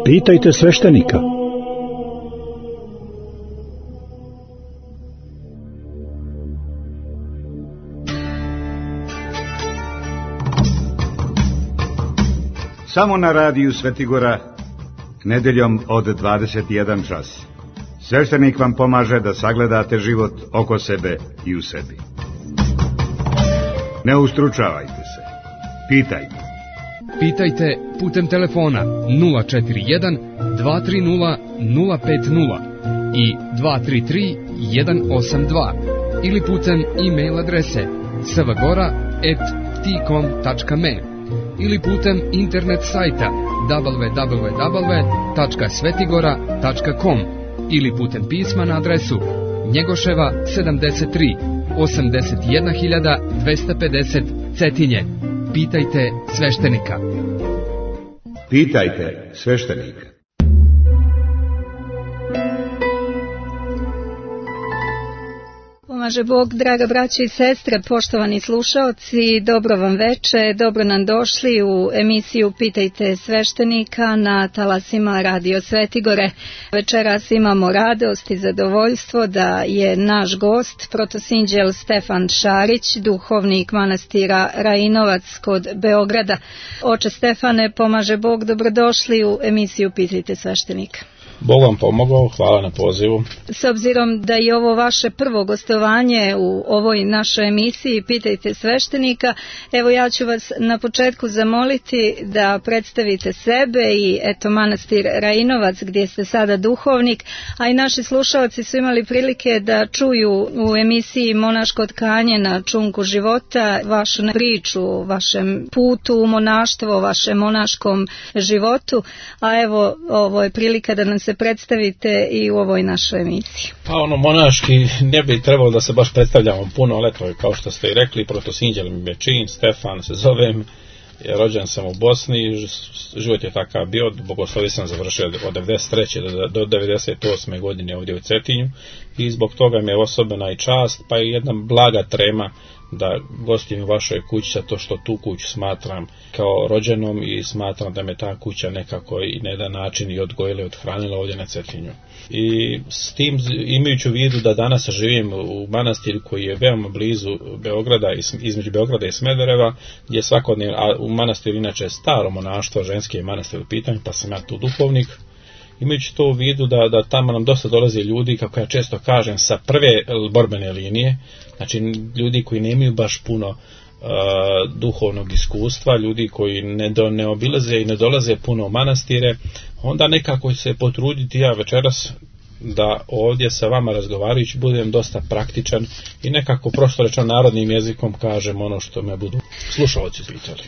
Pitajte sveštenika. Samo na radiju Svetigora, nedeljom od 21 čas. Sveštenik vam pomaže da sagledate život oko sebe i u sebi. Ne ustručavajte se. Pitajte. Pitajte putem telefona 041 230 050 i 233 182 ili putem e-mail adrese svgora@tcom.me ili putem internet sajta www.svetigora.com ili putem pisma na adresu Njegoševa 73 81250 Cetinje. Pitajte sveštenika. Pitajte sveštenika. Pomaže Bog, draga braćo i sestre, poštovani slušaoci, dobro vam veče, dobro nam došli u emisiju Pitajte sveštenika na talasima Radio Svetigore. Večeras imamo radost i zadovoljstvo da je naš gost protosinđel Stefan Šarić, duhovnik manastira Rajinovac kod Beograda. Oče Stefane, pomaže Bog, dobrodošli u emisiju Pitajte sveštenika. Bog vam pomogao, hvala na pozivu. S obzirom da je ovo vaše prvo gostovanje u ovoj našoj emisiji Pitajte sveštenika, evo ja ću vas na početku zamoliti da predstavite sebe i manastir Rajinovac gdje ste sada duhovnik, a i naši slušalci su imali prilike da čuju u emisiji Monaško tkanje na čunku života vašu priču o vašem putu u monaštvo, o vašem monaškom životu, a evo ovo je prilika da nam se predstavite i u ovoj našoj emisiji. Pa monaški ne bi trebalo da se baš predstavljamo puno, ali to je kao što ste i rekli, protosinđel mi je čin, Stefan se zovem, rođen sam u Bosni, život je takav bio, bogoslovije sam završio od 93. do 98. godine ovdje u Cetinju i zbog toga mi je osobena i čast, pa i jedna blaga trema da gostim u vašoj kući, zato što tu kuću smatram kao rođenom i smatram da me ta kuća nekako i na jedan način i odgojila i odhranila ovdje na Cetinju. I s tim, imajući u vidu da danas živim u manastiru koji je veoma blizu Beograda, između Beograda i Smedereva, gdje svakodnevno, a u manastiru inače je staro monaštvo, ženski je manastir u pitanju, pa sam ja tu duhovnik. Imajući to u vidu da tamo nam dosta dolaze ljudi, kako ja često kažem, sa prve borbene linije, znači ljudi koji nemaju baš puno duhovnog iskustva, ljudi koji ne obilaze i ne dolaze puno u manastire, onda nekako se potruditi ja večeras da ovdje sa vama razgovarajući budem dosta praktičan i nekako prosto rečeno narodnim jezikom kažem ono što me budu slušalci pitali.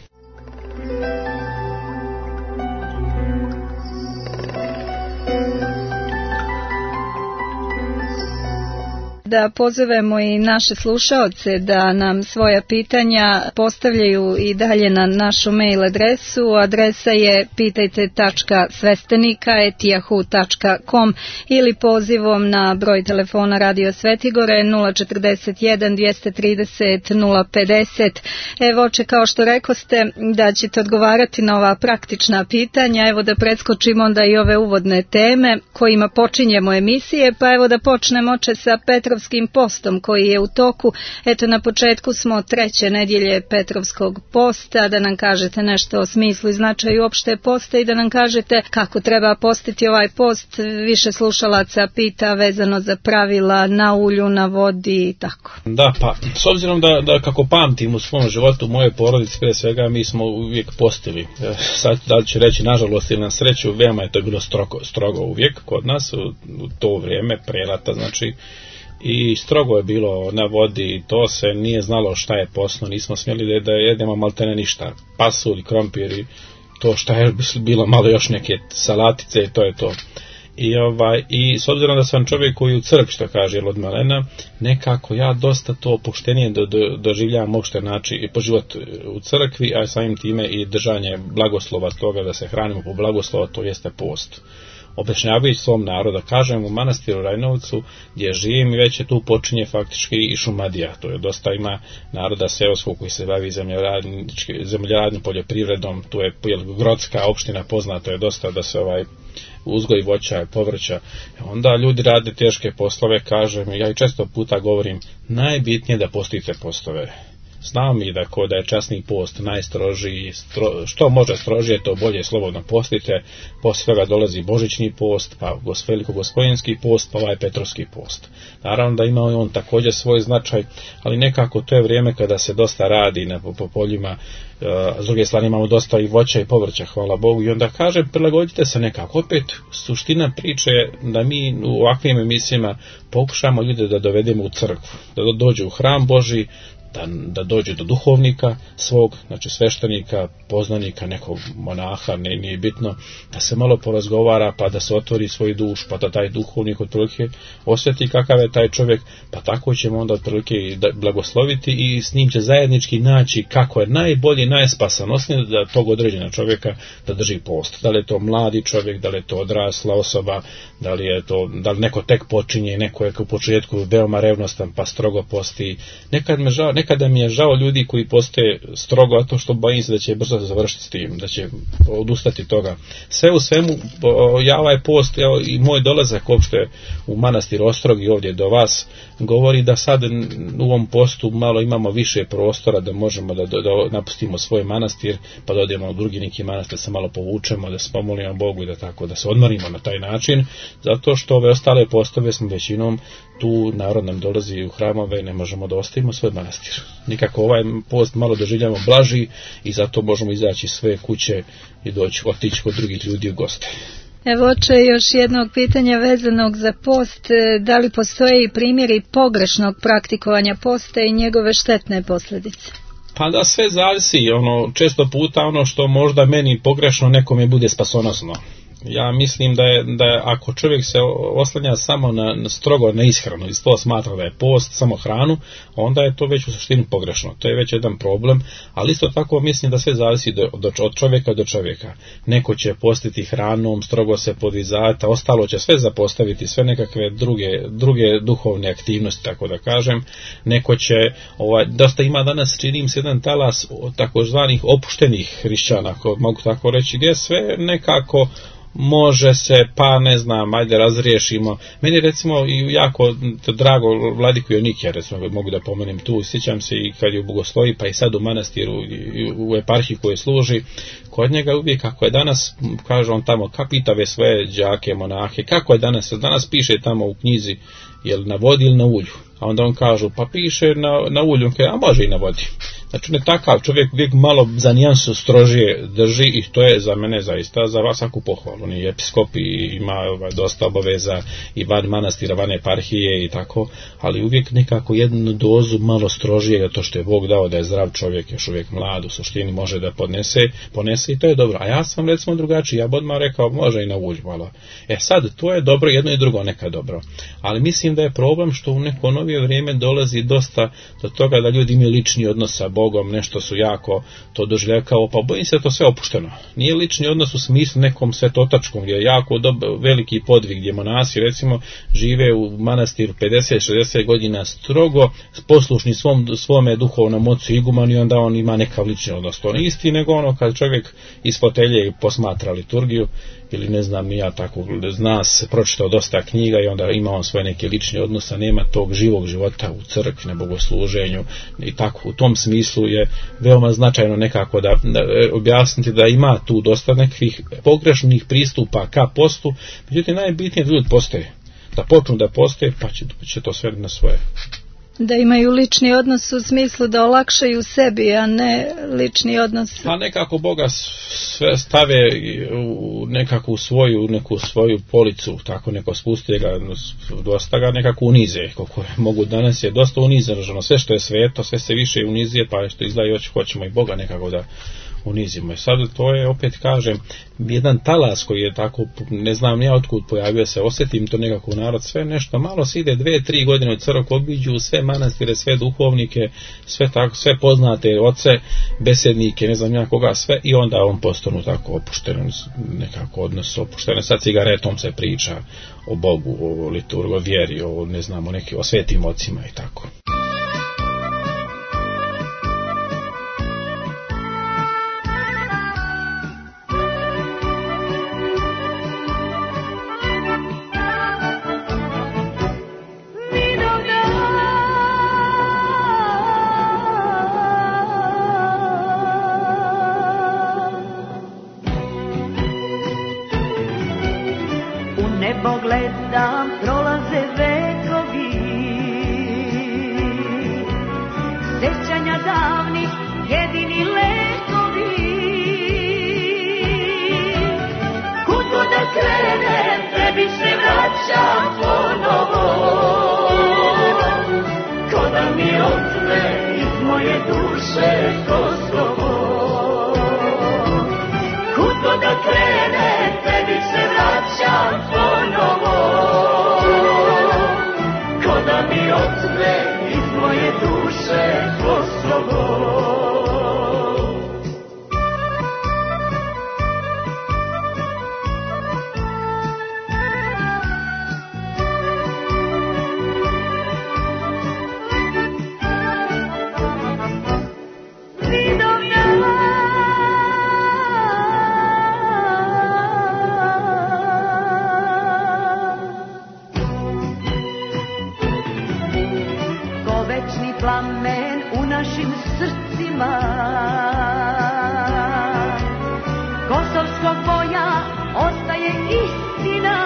Da pozovemo i naše slušaoce da nam svoja pitanja postavljaju i dalje na našu mail adresu. Adresa je pitajte.svestenika@yahoo.com ili pozivom na broj telefona Radio Svetigore 041 230 050. Evo, oče, kao što rekoste da ćete odgovarati na ova praktična pitanja, evo da preskočimo onda i ove uvodne teme kojima počinjemo emisije, pa evo da počnemo, oče, sa Petrovskim postom koji je u toku. Eto, na početku smo 3. nedjelje Petrovskog posta, da nam kažete nešto o smislu i značaju opšte posta i da nam kažete kako treba postiti ovaj post. Više slušalaca pita vezano za pravila na ulju, na vodi i tako. Da, pa s obzirom da kako pamtim u svom životu, u mojoj porodici pre svega, mi smo uvijek postili. Sad da li ću reći nažalost ili na sreću, veoma je to bilo strogo uvijek kod nas u to vrijeme, prelata, znači, i strogo je bilo na vodi, to se nije znalo šta je posno, nismo smjeli da jedemo maltene ništa, pasulj, krompir i to šta je bilo malo još neke salatice i to je to. I s obzirom da sam čovjek koji u crkvi, što kaže od malena, nekako ja dosta to opuštenije doživljavam uopšte način i po život u crkvi, a samim time i držanje blagoslova toga da se hranimo po blagoslova, to jeste post. Objašnjavajući svom narodu, kažem u manastiru Rajnovcu gdje živim i već je tu počinje faktički i šumadija, to je dosta ima naroda seoskog koji se bavi zemljoradnim poljoprivredom, tu je Grodska opština poznata, je dosta da se uzgoj voća i povrća. Onda ljudi rade teške poslove, kažem, ja i često puta govorim, najbitnije da postite postove. Znam i da je časni post najstrožiji, što može strožije, to bolje slobodno postite, poslije toga dolazi božićni post, pa velikogospodinski post, pa ovaj petrovski post. Naravno da ima on također svoj značaj, ali nekako to je vrijeme kada se dosta radi po poljima, s druge strane imamo dosta i voća i povrća, hvala Bogu, i onda kažem, prilagodite se nekako. Opet, suština priče je da mi u ovakvim emisijama pokušamo ljude da dovedemo u crkvu, da dođu u hram Božji, da dođe do duhovnika svog, znači sveštenika, poznanika, nekog monaha, nije bitno, da se malo porazgovara, pa da se otvori svoj duš, pa da taj duhovnik otprilike osjeti kakav je taj čovjek, pa tako ćemo onda otprilike blagosloviti i s njim će zajednički naći kako je najbolji, najspasanosniji da tog određena čovjeka da drži post. Da li je to mladi čovjek, da li je to odrasla osoba, da li neko tek počinje, neko je u početku veoma revnostan pa strogo posti. Nekada mi je žao ljudi koji postoje strogo, a to što bojim se da će brzo završiti s tim, da će odustati toga. Sve u svemu, ja ovaj post i moj dolazak uopšte u manastir Ostrogi ovdje do vas govori da sad u ovom postu malo imamo više prostora da možemo da napustimo svoj manastir, pa da odemo u drugi neki manastir, se malo povučemo, da se pomolimo Bogu i da tako, da se odmorimo na taj način, zato što ove ostale postove smo većinom tu, narod nam dolazi u hramove, ne možemo da ostavimo svoj manastir. Nikako ovaj post malo doživljamo blaži i zato možemo izaći iz svoje kuće i otići kod drugih ljudi u goste. Evo, oče, još jednog pitanja vezanog za post. Da li postoje i primjeri pogrešnog praktikovanja posta i njegove štetne posljedice? Pa da, sve zavisi. Često puta ono što možda meni pogrešno, nekome bude spasonosno. Ja mislim da je ako čovjek se oslanja samo strogo na ishranu i to smatra da je post, samo hranu, onda je to već u suštini pogrešno. To je već jedan problem, ali isto tako mislim da sve zavisi od čovjeka do čovjeka. Neko će postiti hranom, strogo se podvizati, ostalo će sve zapostaviti, sve nekakve druge duhovne aktivnosti, tako da kažem. Neko će, dosta ima danas, činim se jedan talas takozvanih opuštenih hrišćana, ako mogu tako reći, gdje sve nekako može se, pa ne znam, ajde razriješimo. Meni recimo i jako drago Vladiku Jonikija, recimo mogu da pomenem tu, sjećam se i kad je u Bogoslovi, pa i sad u manastiru, u eparhiji koje služi, kod njega uvijek kako je danas, kaže on tamo, kapitave svoje đake, monahe, kako je danas piše tamo u knjizi, jel na vodi ili na ulju, a onda on kažu, pa piše na ulju, a može i na vodi. Znači, ne takav čovjek uvijek malo za nijansu strožije drži i to je za mene zaista za vas svaku pohvalu. On je episkop i ima dosta obaveza i van manastira, van eparhije i tako, ali uvijek nekako jednu dozu malo strožije, to što je Bog dao da je zdrav čovjek, još uvijek mlad, u suštini može da ponese i to je dobro. A ja sam recimo drugačiji, ja bi odmah rekao može i na ulju malo. Sad, to je dobro, jedno i drugo neka dobro. Ali mislim da je problem što u neko novije vrijeme dolazi dosta do toga da ljudi imaju lični odnos sa Bogom, nešto su jako to doživljaju kao, pa bojim se da to sve opušteno. Nije lični odnos u smislu nekom svetotačkom, gdje je jako veliki podvig, gdje monasi recimo žive u manastiru 50-60 godina strogo, poslušni svome duhovnom ocu igumanu i onda on ima nekav lični odnos. To nije isti nego kad čovjek iz fotelje posmatra liturgiju, ili ne znam ni ja tako, zna se, pročitao dosta knjiga i onda ima on svoj neki lični odnos, a nema tog živog života u crkvi, na bogosluženju i tako. U tom smislu je veoma značajno nekako da objasniti da ima tu dosta nekih pogrešnih pristupa ka postu, međutim najbitnije da ljudi postoje, da počnu da postoje, pa će to sve na svoje. Da imaju lični odnos u smislu da olakšaju sebi, a ne lični odnos. Pa nekako Boga sve stave nekako u neku svoju policu, tako neko spusti ga, dosta ga nekako unize, koliko mogu danas je dosta unizano, sve što je sveto, sve se više unizije, pa što izgleda hoćemo i Boga nekako da unizimo. I sad to je, opet kažem, jedan talas koji je tako, ne znam ja otkud pojavio se, osjetim to nekako u narod, sve nešto, malo se ide 2-3 godine u crkvu, obiđu sve manastire, sve duhovnike, sve tako, sve poznate oce, besednike, ne znam ja koga, sve, i onda on postanu tako opušteno, nekako odnos opušteno. Sad cigaretom se priča o Bogu, o liturgu, o vjeri, o ne znam, o svetim ocima i tako. nebo gledam, prolaze vekovi, sećanja davnih jedini lekovi. Kud god da krenem, tebi se vraćam ponovo, ko da mi otme iz moje duše Kosovo. Kud god da krenem, tebi se vraćam ponovo, ko da mi otme iz moje duše Kosovo. Plamen u našim srcima, kosovskog boja ostaje istina.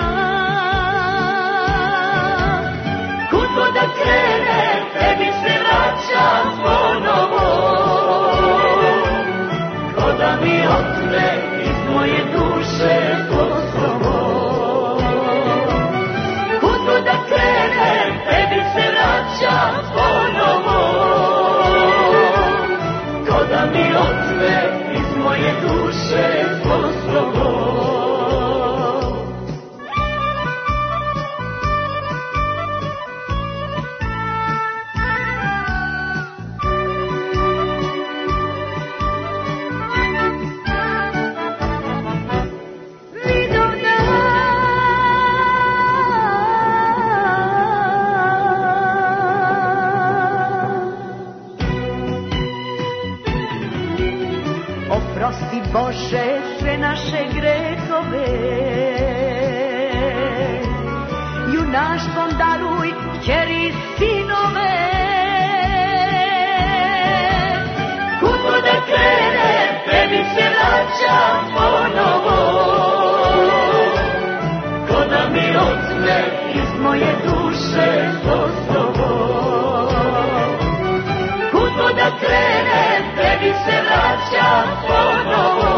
Kud god da krenem, tebi se vraćam ponovo, ko da mi otme iz moje duše Kosovo. Kud god da krenem, tebi se vraćam ponovo, ko da mi otme iz moje duše Kosovo. Oprosti Bože sve naše grehove, junaštvom daruj kćeri i sinove. Kud god da krenem, tebi se vraćam ponovo, ko da mi otme iz moje duše Kosovo. Kud god da krenem, tebi se vraćam ponovo,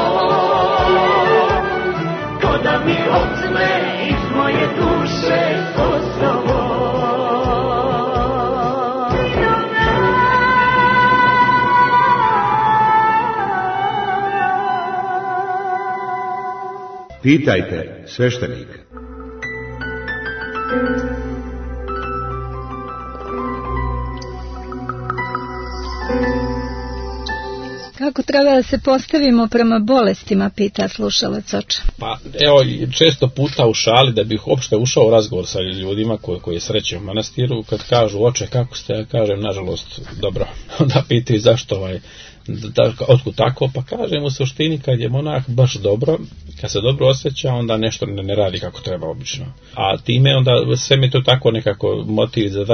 ko da mi otme iz moje duše Kosovo. Pitajte sveštenika. Kako treba da se postavimo prema bolestima, pita slušalac oče. Pa evo, često puta u šali da bih uopšte ušao u razgovor sa ljudima koji sreće u manastiru, kad kažu oče kako ste, ja kažem nažalost dobro, onda pitaju zašto otkud tako, pa kažem u suštini kad je monah baš dobro, kad se dobro osjeća, onda nešto ne radi kako treba obično. A time onda sve mi to tako nekako motiv za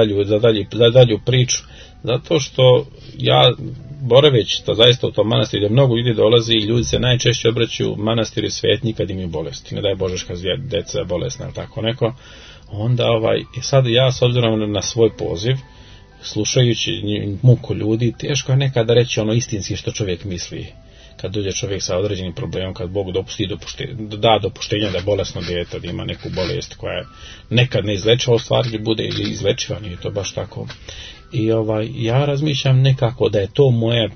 dalju priču, zato što ja boraveći to zaista u tom manastiru gdje mnogo ljudi dolazi i ljudi se najčešće obraćaju manastiru svetnji kad imaju bolesti, ne daj Bože kad deca bolesna ili tako neko, onda sad ja s obzirom na svoj poziv, slušajući muku ljudi, teško je nekada reći ono istinski što čovjek misli. Kad dođe čovjek sa određenim problemom, kad Bog da dopuštenja da bolesno dijete da ima neku bolest koja je nekad neizlečiva, u stvari bude ili izlečiva, nije to baš tako. I ja razmišljam nekako da je to moja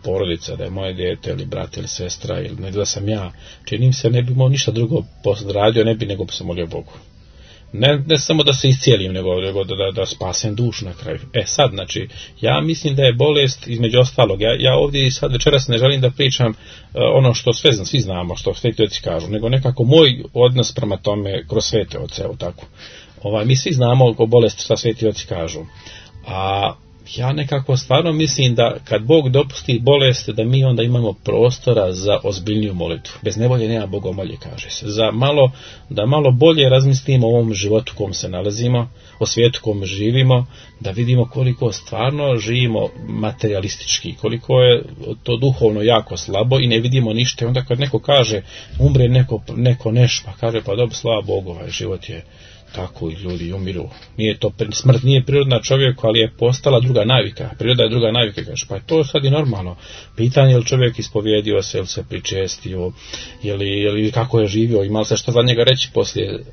porodica, da je moje dijete ili brat ili sestra ili da sam ja, činim se ne bi imao ništa drugo radio, ne bi nego se molio Bogu. Ne samo da se iscijelim, nego da spasem dušu na kraju. Sad, znači, ja mislim da je bolest između ostalog. Ja ovdje sad večeras ne želim da pričam ono što svi znamo, što sveti oci kažu, nego nekako moj odnos prema tome kroz svete oce, evo tako. Mi svi znamo o bolesti šta sveti oci kažu. A Ja nekako stvarno mislim da kad Bog dopusti bolest, da mi onda imamo prostora za ozbiljniju molitvu. Bez nevolje nema bogomolje, kaže se. Da malo bolje razmislimo o ovom životu u kom se nalazimo, o svijetu u kom živimo, da vidimo koliko stvarno živimo materialistički, koliko je to duhovno jako slabo i ne vidimo ništa. I onda kad neko kaže, umre neko neš, pa kaže, pa dobro, slava Bogu, ovaj život je tako i ljudi umiru. Smrt nije prirodna čovjeku, ali je postala druga navika. Priroda je druga navika, kaže, pa je to sad i normalno. Pitanje je li čovjek ispovjedio se, ili se pričestio, ili kako je živio, ima li se što za njega reći poslije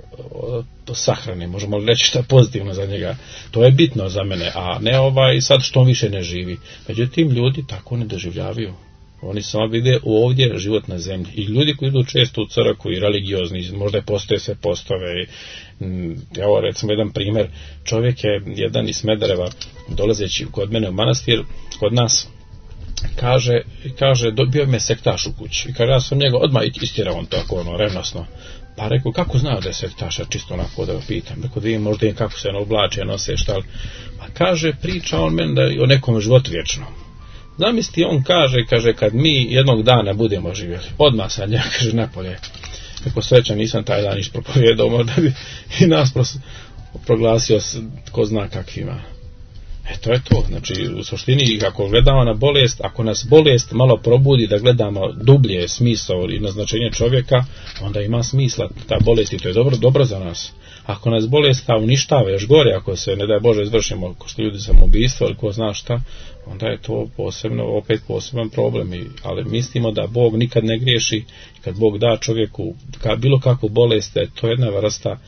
sahrane, možemo li reći što pozitivno za njega. To je bitno za mene, a ne sad što on više ne živi. Međutim, ljudi tako ne doživljavaju. Oni samo vide ovdje život na zemlji. I ljudi koji idu često u crkvu i religiozni, možda postoje sve postave. Evo recimo jedan primjer, čovjek je jedan iz Smedereva, dolazeći kod mene u manastir, kod nas, kaže dobio me sektaš u kući. I kaže, ja sam njega odmah istirao, on tako revnosno. Pa rekao, kako znao da je sektaša, čisto onako da ga pitam. Rekao, da vidim možda im kako se oblače, nose, šta li. Pa kaže, priča on meni da je o nekom životu vječnom. Zamisli, on kaže, kad mi jednog dana budemo živjeli, odmah sad njega, kaže, napolje. Ako srećan nisam taj dan ispropovjedao, možda bi i nas proglasio ko zna kakvima. To je to. Znači, u suštini, ako gledamo na bolest, ako nas bolest malo probudi da gledamo dublje smisao i naznačenje čovjeka, onda ima smisla ta bolest i to je dobro za nas. Ako nas bolest uništava, još gore, ako se, ne daj Bože, izvršimo ko što ljudi samoubistvo ili ko zna šta, onda je to opet poseban problem. Ali mislimo da Bog nikad ne griješi, kad Bog da čovjeku bilo kakvu bolest, da je to jedna vrsta,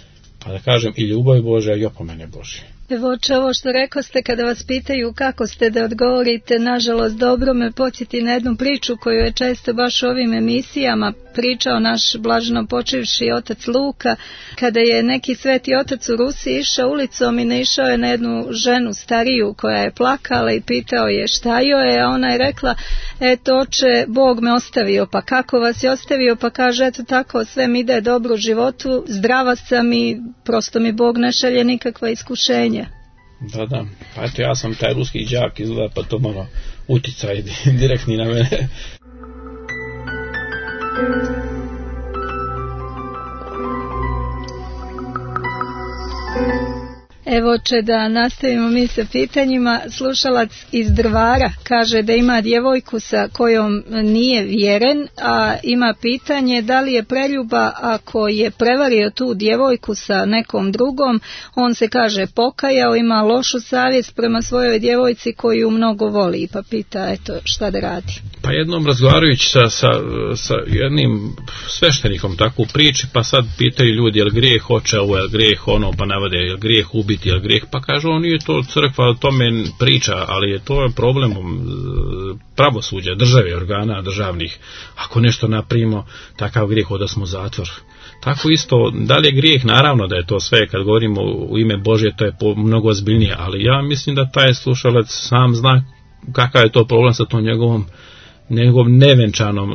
pa da kažem, i ljubav Božja i opomene Božje. Evo ovo što rekao ste, kada vas pitaju kako ste da odgovorite, nažalost dobro me podsjeti na jednu priču koju je često baš u ovim emisijama pričao naš blaženo počivši otac Luka, kada je neki sveti otac u Rusiji išao ulicom i naišao je na jednu ženu stariju koja je plakala i pitao je šta joj je, a ona je rekla, eto oče, Bog me ostavio. Pa kako vas je ostavio? Pa kaže, eto tako, sve mi ide dobro u životu, zdrava sam i prosto mi Bog ne šalje nikakva iskušenja. Da, pa eto ja sam taj ruski đak izgleda, pa to malo uticaj direktni na mene. Evo će da nastavimo mi sa pitanjima. Slušalac iz Drvara kaže da ima djevojku sa kojom nije vjeren, a ima pitanje da li je preljuba ako je prevario tu djevojku sa nekom drugom. On se kaže pokajao, ima lošu savjest prema svojoj djevojci koju mnogo voli, pa pita eto šta da radi. Pa jednom razgovarajući sa jednim sveštenikom tako u priči, pa sad pitaju ljudi je li grijeh očevo, je li grijeh ono, pa navode je li grijeh ubiti, je li grijeh, pa kaže on nije to crkva o tome priča, ali je to problem pravosuđa, države, organa državnih. Ako nešto napravimo, takav grijeh da smo zatvor. Tako isto, da li je grijeh, naravno da je to sve, kad govorimo u ime Božje, to je mnogo ozbiljnije, ali ja mislim da taj slušalac sam zna kakav je to problem sa tom njegovom nevenčanom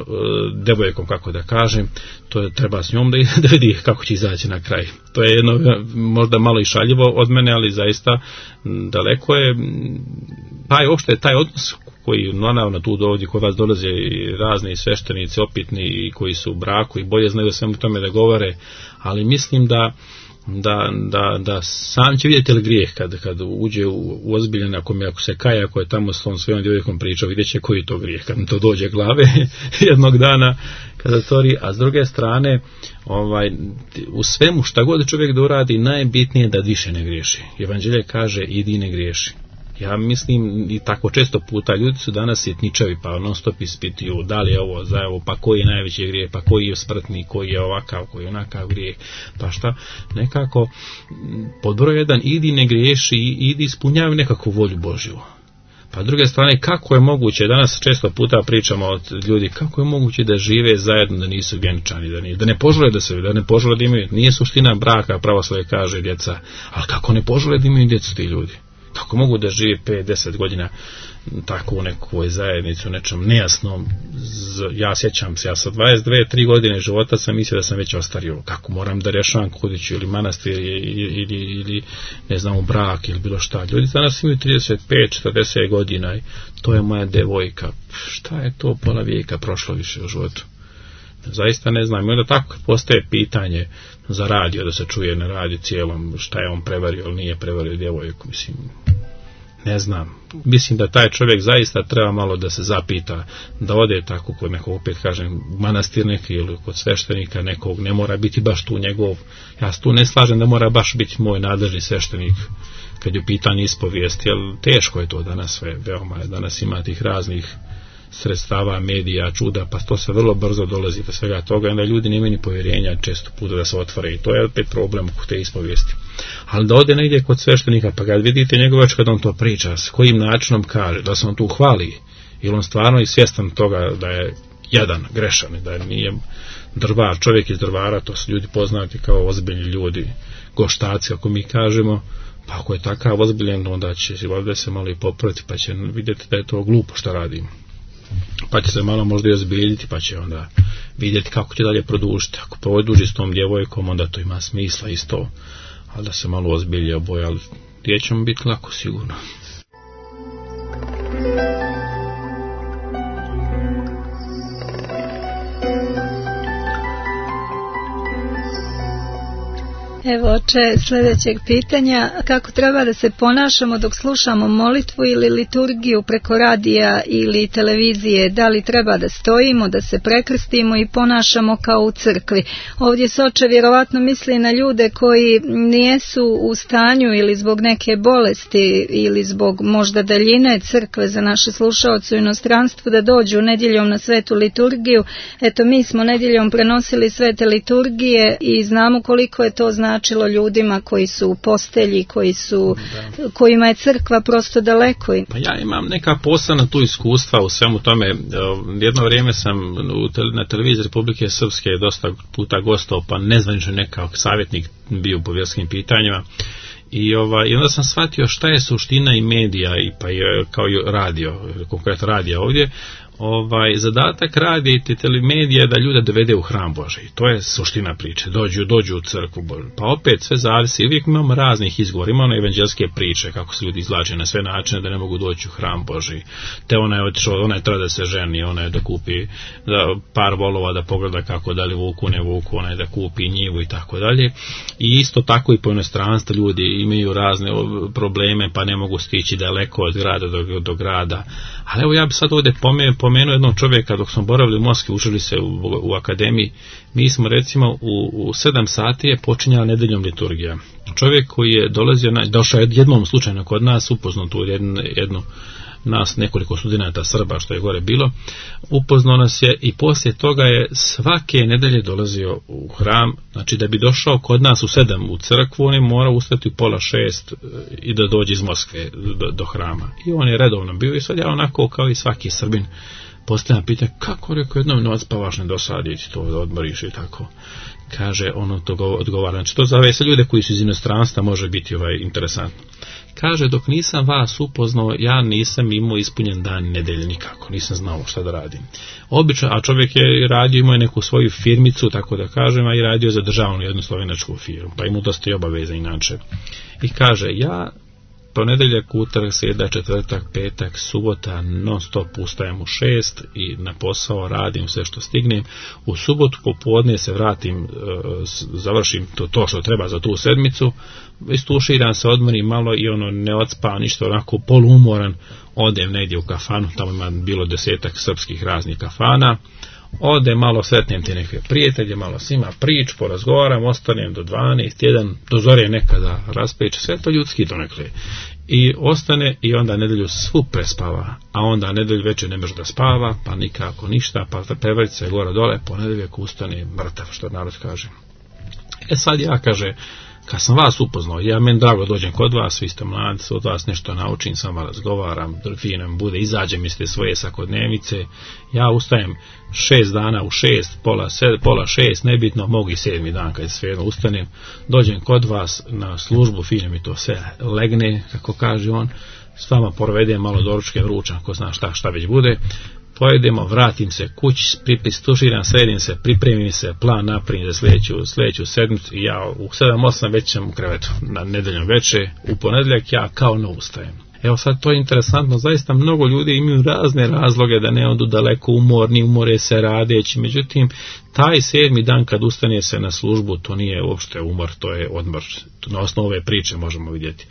devojkom, kako da kažem, to treba s njom da vidi kako će izaći na kraj. To je jedno možda malo i šaljivo od mene, ali zaista daleko je taj odnos koji naravno tu ovdje kod vas dolaze i razni sveštenici opitni i koji su u braku i bolje znaju svemu tome da govore, ali mislim da sam će vidjeti li grijeh kad uđe u ozbiljan, ako se kaja, ako je tamo s tom svojom djevojkom pričao, vidjet će koji je to grijeh kad mu to dođe glave jednog dana kada tori, a s druge strane u svemu šta god čovjek da uradi, najbitnije je da više ne griješi. Evanđelje kaže idi ne griješi. Ja mislim i tako često puta ljudi su danas sitničavi, pa non stop ispituju da li je ovo za ovo, pa koji je najveći grijeh, pa koji je smrtni, koji je ovakav, koji je onakav grijeh, pa šta, nekako pod broj 1 idi ne griješi, idi ispunjavi nekakvu volju Božju. Pa s druge strane, kako je moguće, danas često puta pričamo od ljudi, kako je moguće da žive zajedno, da nisu vjenčani, da ne požele da ne požele da imaju, nije suština braka, pravoslavlje kaže djeca, ali kako ne požele da imaju djecu ti ljudi? Kako mogu da žive 5-10 godina tako u nekoj zajednici, u nečem nejasnom. Ja sjećam se, ja sa 22-3 godine života sam mislio da sam već ostario, kako moram da rješavam kudiću ili manastir ili ne znam u brak ili bilo šta. Ljudi danas imaju 35-40 godina i to je moja devojka. Šta je to pola vijeka prošlo više u životu? Zaista ne znam. I onda tako postaje pitanje za radio, da se čuje na radiju cijelom šta je on prevario ili nije prevario djevojku, mislim. Ne znam. Mislim da taj čovjek zaista treba malo da se zapita, da ode tako kod nekog, opet kažem, manastir neki ili kod sveštenika nekog, ne mora biti baš tu njegov. Ja se tu ne slažem da mora baš biti moj nadležni sveštenik kad je u pitanju ispovijesti, jer teško je to danas sve, veoma je. Danas ima tih raznih sredstava, medija, čuda, pa to se vrlo brzo dolazi do svega toga i onda ljudi nemaju ni povjerenja često puta da se otvore i to je opet problem oko te ispovijesti. Ali da ode negdje kod sveštenika pa kad vidite njegovač kad on to priča, s kojim načinom kaže, da se on tu hvali ili on stvarno je svjestan toga da je jadan, grešan, da nije drvar, čovjek iz drvara, to su ljudi poznati kao ozbiljni ljudi, goštaci ako mi kažemo. Pa ako je takav ozbiljen, onda će ovdje se malo i popraviti, pa će vidjeti da je to glupo što radim. Pa će se malo možda i ozbiljiti, pa će onda vidjeti kako će dalje produžiti. Ako produži s tom djevojkom, onda to ima smisla isto, ali da se malo ozbilje oboje, ali gdje ćemo biti lako sigurno. Evo, oče, sljedećeg pitanja, kako treba da se ponašamo dok slušamo molitvu ili liturgiju preko radija ili televizije, da li treba da stojimo, da se prekrstimo i ponašamo kao u crkvi? Ovdje se, oče, vjerovatno misli na ljude koji nijesu u stanju ili zbog neke bolesti ili zbog možda daljine crkve za naše slušaoce u inostranstvu da dođu nedjeljom na svetu liturgiju. Eto, mi smo nedjeljom prenosili svete liturgije i znamo koliko je to značilo ljudima koji su u postelji, kojima je crkva prosto daleko. Pa ja imam neka posebna tu iskustva u svemu tome. Jedno vrijeme sam na televiziji Republike Srpske dosta puta gostao, pa nezvanično nekakav savjetnik bio po vjerskim pitanjima. I onda sam shvatio šta je suština i medija i pa kao i radio, konkretno radija ovdje. Zadatak radija i telemedija je da ljude dovede u hram Božji. To je suština priče. Dođu u crkvu Božju. Pa opet sve zavisi. Uvijek imamo raznih izgovora. Imamo evanđelske priče kako se ljudi izvlače na sve načine da ne mogu doći u hram Božji. Te ona je otišla, ona je treba da se ženi, ona je da kupi par volova da pogleda kako da li vuku, ne vuku, ona je da kupi njivu i tako dalje. I isto tako i po inostranstvu ljudi imaju razne probleme pa ne mogu stići daleko od grada do grada. Ali evo ja bi sad ovdje pomenuo jednog čovjeka dok smo boravili u Moskvi, učili se u akademiji. Mi smo recimo u 7 sati je počinjala nedeljom liturgija. Čovjek koji je došao jednom slučajno kod nas, upoznao tu jednu nas nekoliko studenata Srba što je gore bilo, upoznao nas je i poslije toga je svake nedelje dolazio u hram, znači da bi došao kod nas u 7 u crkvu, on je morao ustati u 5:30 i da dođe iz Moskve do hrama. I on je redovno bio i sad ja onako kao i svaki Srbin postavljam pitanje, kako rekao jednom noć spavaš ne dosadići to da odmoriš i tako. Kaže, ono to odgovara. Znači to za sve ljude koji su iz inostranstva može biti interesantno. Kaže, dok nisam vas upoznao, ja nisam imao ispunjen dan nedelje nikako, nisam znao šta da radim. Obično, a čovjek je radio, imao je neku svoju firmicu, tako da kažem, a i radio za državnu jednu slovenačku firmu, pa imao dosta i obaveza inače. I kaže, ja ponedjeljak, utorak, srijeda, četvrtak, petak, subota, non stop ustajem u 6 i na posao radim sve što stignem. U subotu popodne se vratim, završim to što treba za tu sedmicu, istuširam se, odmorim malo i ne odspavam ništa, onako poluumoran, odem negdje u kafanu, tamo ima bilo 10 srpskih raznih kafana, ode malo, sretnem te neke prijatelje, malo s njima prič, porazgovaram, ostanem do 12, 1, do zore nekada raspeče, sve to ljudski donekle. I ostane i onda nedelju svu prespava, a onda nedelju večer ne može da spava, pa nikako ništa, pa prevrti se gore dole, ponedeljak ustane mrtav, što narod kaže. Sad ja, kaže, kad sam vas upoznao, ja meni drago dođem kod vas, vi ste mladi, od vas nešto naučim, samo razgovaram, fino bude, izađem iz te svoje svakodnevnice, ja ustajem 6 dana u 6, pola 6, nebitno, mogu i 7. dan kad svejedno ustanem, dođem kod vas na službu, fino mi to sve legne, kako kaže on, s vama provedem malo doručke vručan, ko zna šta već bude, pojedemo, vratim se kući, stuširam, sredim se, pripremim se, plan napravim za sljedeću sedmicu i ja u 7-8 već sam u krevetu na nedeljom veče, u ponedjeljak ja kao ne ustajem. Evo sad to je interesantno, zaista mnogo ljudi imaju razne razloge da ne odu daleko umorni, umore se radeći, međutim taj 7. dan kad ustane se na službu, to nije uopšte umor, to je odmor. Na osnovu ove priče možemo vidjeti.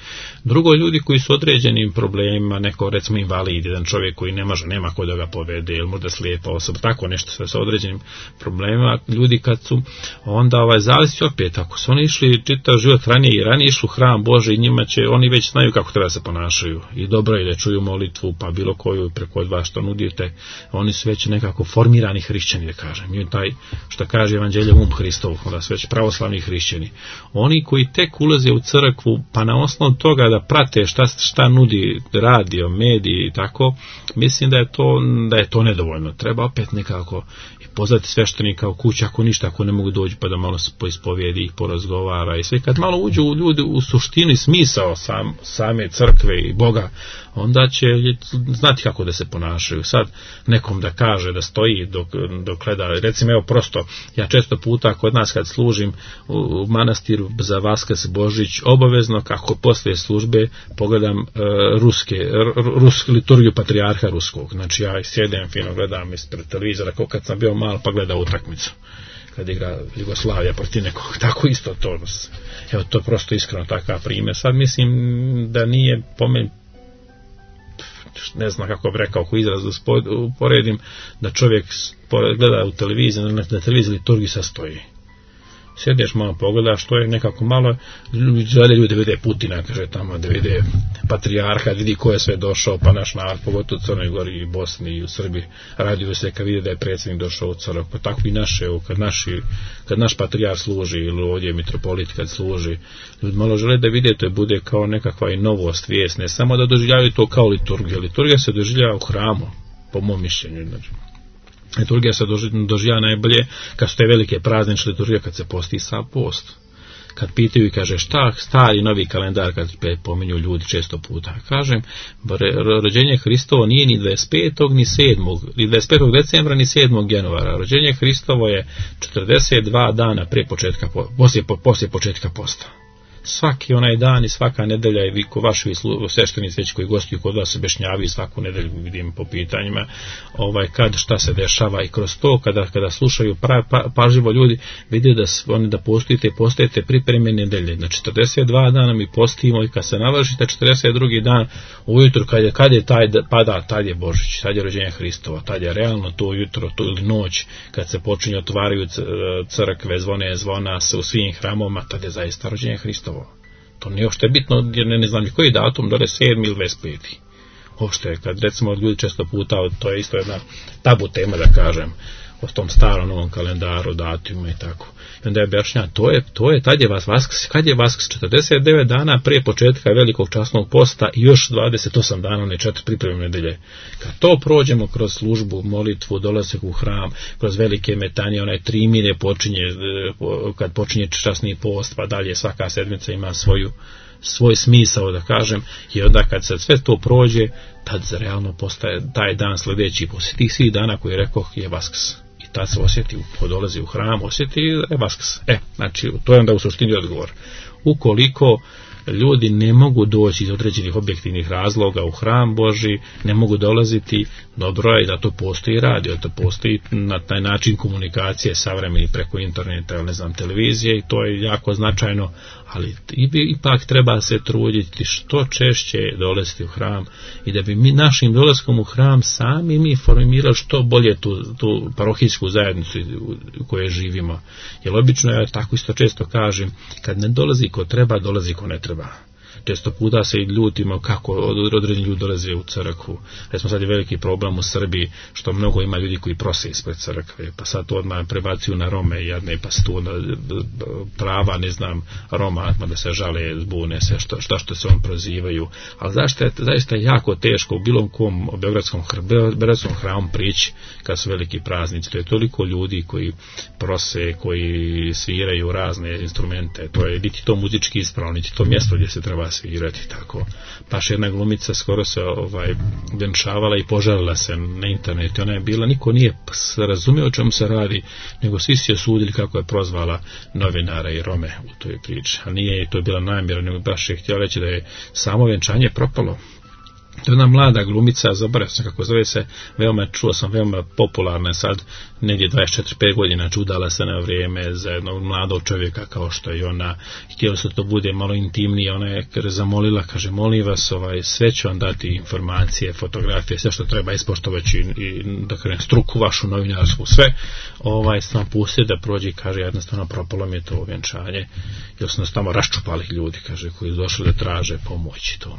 Drugo, ljudi koji su određenim problemima, neko recimo invalid, jedan čovjek koji ne može, nema ko da ga povede, ili možda slijepa osoba, tako nešto sa određenim problemima, ljudi kad su onda zavisi opet, ako su oni išli čitav život ranije išli u hram Boži, njima će, oni već znaju kako treba se ponašaju i dobro je da čuju molitvu, pa bilo koju preko od vas što nudite, oni su već nekako formirani hrišćani, da kažem, i taj što kaže Evanđelje Hristov, onda su već pravoslavni hrišćani. Oni koji tek ulaze u crkvu, pa na osnovu toga da prate šta nudi radio, mediji i tako, mislim da je to nedovoljno. Treba opet nekako i pozvati sveštenika u kući, ako ništa, ako ne mogu doći pa da malo se poispovijedi i porazgovara i sve. Kad malo uđu ljudi u suštini smisao same crkve i Boga, onda će znati kako da se ponašaju. Sad nekom da kaže da stoji dok gleda, recimo evo prosto, ja često puta kod nas kad služim u manastiru za Vaskrs Božić, obavezno kako poslije službe pogledam rusku liturgiju patrijarha ruskog. Znači ja sjedem fino, gledam ispred televizora kao kad sam bio mal pa gledao utakmicu kad igra Jugoslavija protiv nekog, tako isto to. Evo to je prosto iskreno takav primjer. Sad mislim da nije po meni, ne znam kako bi rekao, ako izraz uporedim, da čovjek gleda u televiziji, na televiziji liturgiji sastoji. Sjedeš malo pogledaš, što je nekako malo, ljudi vide Putina, kaže tamo, da vide patrijarha, vidi ko je sve došao, pa naš narod, pogotovo u Crnoj Gori i Bosni i u Srbiji, raduju se kad vide da je predsjednik došao u crkvu, pa tako i naše, kad naš patrijarh služi, ili ovdje mitropolit kad služi, ljudi malo žele da vide, to bude kao nekakva i novost, vijest, ne samo da doživljavaju to kao liturgija. Liturgija se doživljava u hramu, po mom mišljenju, znači. Liturgija se doživljava najbolje kad su te velike praznične liturgije, kad se posti sav post. Kad pitaju i kaže šta stari novi kalendar, kad pominju ljudi često puta, kažem, rođenje Hristovo nije ni 25. ni 7. ni 25. decembra ni 7. januara. Rođenje Hristovo je 42 dana poslije početka posta. Svaki onaj dan i svaka nedelja i vaši sveštenici već koji gostuju kod vas se objašnjavaju svaku nedelju, vidim po pitanjima kad šta se dešava i kroz to kada slušaju pažljivo ljudi vide da postojite pripreme nedelje. Na 42 dana mi postimo i kad se navršite 42. dan ujutru kad je tad je Božić, tad je rođenje Hristova, tad je realno to ujutro ili noć kad se počinje otvaraju crkve, zvona se u svim hramovima, tad je zaista rođenje Hristovo. To nije uopšte bitno, jer ne znam ni koji datum, da li 7. ili 25. Uopšte, kad recimo ljudi često puta, to je isto jedna tabu tema da kažem, o tom starom novom kalendaru, datumima i tako. I onda je objašnjava, to je, tad je Vaskrs, kad je Vaskrs? 49 dana prije početka velikog časnog posta i još 28 dana, one 4 pripremne nedelje. Kad to prođemo kroz službu, molitvu, dolazak u hram, kroz velike metanje, onaj 3 mine počinje, kad počinje časni post, pa dalje svaka sedmica ima svoj smisao, da kažem, i onda kad se sve to prođe, tad realno postaje taj dan sljedeći, poslije tih svih dana koji rekoh je Vaskrs. I tad se osjeti, ko dolazi u hram, osjeti je Vaskrs. Znači, to je onda u suštini odgovor. Ukoliko ljudi ne mogu doći iz određenih objektivnih razloga u hram Boži, ne mogu dolaziti, dobro je da to postoji radio, da to postoji na taj način komunikacije savremeni preko interneta ili televizije i to je jako značajno, ali ipak treba se truditi što češće dolaziti u hram i da bi mi našim dolaskom u hram sami mi formirali što bolje tu parohijsku zajednicu u kojoj živimo. Jer obično ja tako isto često kažem, kad ne dolazi ko treba, dolazi ko ne treba. Često puta se i ljutimo kako određeni ljudi dolaze u crkvu. Recimo sad je veliki problem u Srbiji što mnogo ima ljudi koji prose ispred crkve, pa sad to odmah prebacuju na Rome jadne, pa se tu prava, Roma, da se žale, zbune se, što se on prozivaju. Ali zaista je jako teško u bilo kom beogradskom hramu prići kad su veliki praznici. To je toliko ljudi koji prose, koji sviraju razne instrumente. To je niti to muzički ispravno, niti to mjesto gdje se treba svirati tako. Baš jedna glumica skoro se venčavala i požalila se na internetu. Ona je bila, niko nije razumio o čemu se radi, nego svi su je sudili kako je prozvala novinara i Rome u toj priči. A nije to je bila namjera, nego baš je htjela reći da je samo venčanje propalo. To je jedna mlada glumica, zaboravio sam kako zove se, čuo sam veoma popularna sad, negdje 24-5 godina, udala se na vrijeme za jednog mladog čovjeka kao što je ona, htjela se to bude malo intimnije, ona je zamolila, kaže, molim vas, sve ću vam dati informacije, fotografije, sve što treba ispoštovati i da kažem, struku vašu novinarsku, sve, sam pustio da prođe, kaže, jednostavno propalo mi je to vjenčanje, jer su nas tamo raščupali ljudi, kaže, koji su došli da traže pomoći to.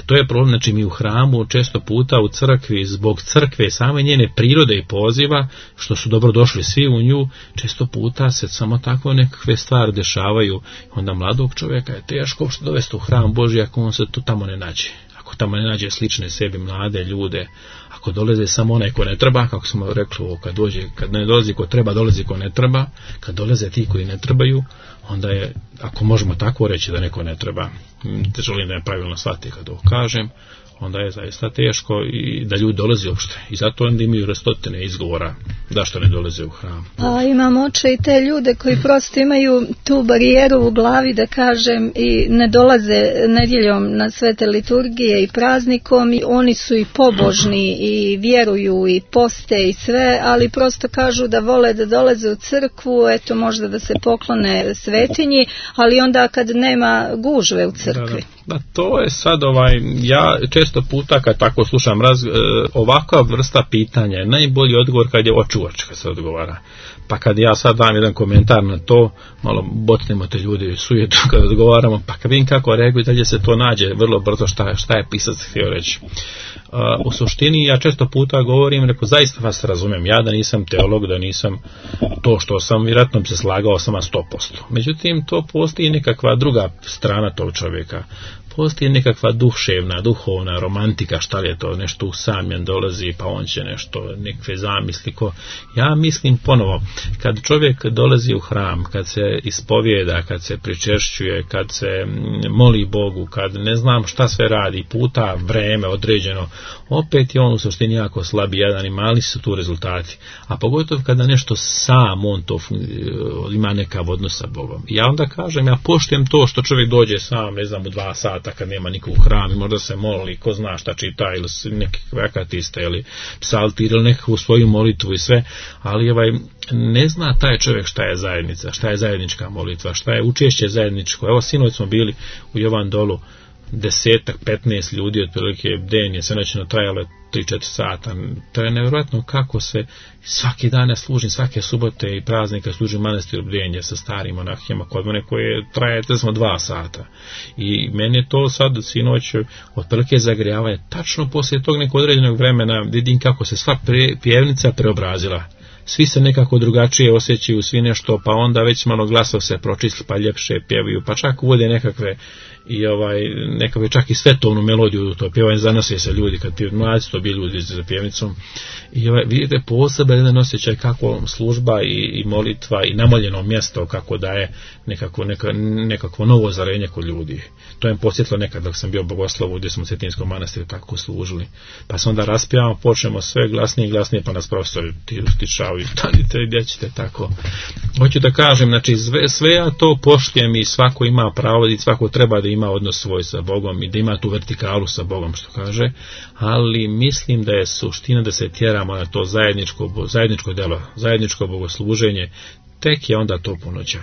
To je problem, znači mi u hramu često puta u crkvi, zbog crkve same njene prirode i poziva, što su dobro došli svi u nju, često puta se samo tako nekakve stvari dešavaju, onda mladog čovjeka je teško što dovesti u hram Božji ako on se tu tamo ne nađe. Ako tamo ne nađe slične sebi mlade ljude, ako dolaze samo onaj ko ne treba, kako smo rekli, kad ne dolazi ko treba, dolazi ko ne treba, kad dolaze ti koji ne trebaju, onda je, ako možemo tako reći da neko ne treba, želim da je pravilno shvati kad ovo kažem, onda je zaista teško i da ljudi dolaze uopšte. I zato onda imaju stotine izgovora da što ne dolaze u hram. A imam oče i te ljude koji prosto imaju tu barijeru u glavi, da kažem, i ne dolaze nedjeljom na svete liturgije i praznikom, i oni su i pobožni i vjeruju i poste i sve, ali prosto kažu da vole da dolaze u crkvu, eto možda da se poklone svetinji, ali onda kad nema gužve u crkvi. Da, to je sad ja često puta kad tako slušam ovakva vrsta pitanja je najbolji odgovor kad je oči u oči kad se odgovara. Pa kad ja sad dam jedan komentar na to, malo botnemo te ljudi sujetu kad odgovaramo, pa kad vidim kako reaguju, dalje se to nađe vrlo brzo šta je pisac htio reći. U suštini ja često puta govorim, rekao, zaista vas razumem, ja da nisam teolog, da nisam to što sam, vjerojatno bi se slagao sama 100%. Međutim, to postoji nekakva druga strana tog čovjeka. Postoji nekakva duševna, duhovna romantika, šta li je to, nešto usamljen dolazi, pa on će nešto, nekakve zamisli. Ja mislim ponovo, kad čovjek dolazi u hram, kad se ispovijeda, kad se pričešćuje, kad se moli Bogu, kad ne znam šta sve radi, puta vreme određeno, opet je on u suštini jako slabi jedan i mali su tu rezultati. A pogotovo kada nešto sam on to ima nekav odnos sa Bogom. Ja onda kažem, ja poštujem to što čovjek dođe sam, ne znam, u 2 sata kad nema nikog u hram i možda se moli, ko zna šta čita, ili nekakve akatiste, ili psaltir, ili nekakvu svoju molitvu i sve, ali ne zna taj čovjek šta je zajednica, šta je zajednička molitva, šta je učešće zajedničko. Evo, sinoć smo bili u Jovan Dolu, 10-15 ljudi, otprilike den je sve noćno trajalo 3-4 sata. To je nevjerojatno kako se svaki dan služim, svake subote i praznika služim manastir Bdenje sa starim monahijama kod mene koje traje 2 sata. I meni je to sad sinoć otprilike zagrijavanje. Tačno poslije tog nekog određenog vremena vidim kako se sva pjevnica preobrazila. Svi se nekako drugačije osjećaju, svi nešto, pa onda već malo glasov se pročisli, pa ljepše pjevaju, pa čak uvode nekakve i nekakve čak i svetovnu melodiju, to pjevanje, zanose se ljudi, kad mlađi to bili ljudi za pjevnicom. I vidite poseban jedan osjećaj kako služba i molitva i namoljeno mjesto kako daje nekakvo novo zarenje kod ljudi. To je posjetilo nekad dok sam bio bogoslovu gdje smo u Cetinskom manastiru tako služili. Pa se onda raspijamo, počnemo sve glasnije i glasnije, pa nas profesori tišao i stanite, gdje ćete tako. Hoću da kažem, znači sve ja to poštujem i svako ima pravo i svako treba da ima odnos svoj sa Bogom i da ima tu vertikalu sa Bogom, što kaže, ali mislim da je suština da se tjeramo na to zajedničko delo, zajedničko bogosluženje, tek je onda to punoća.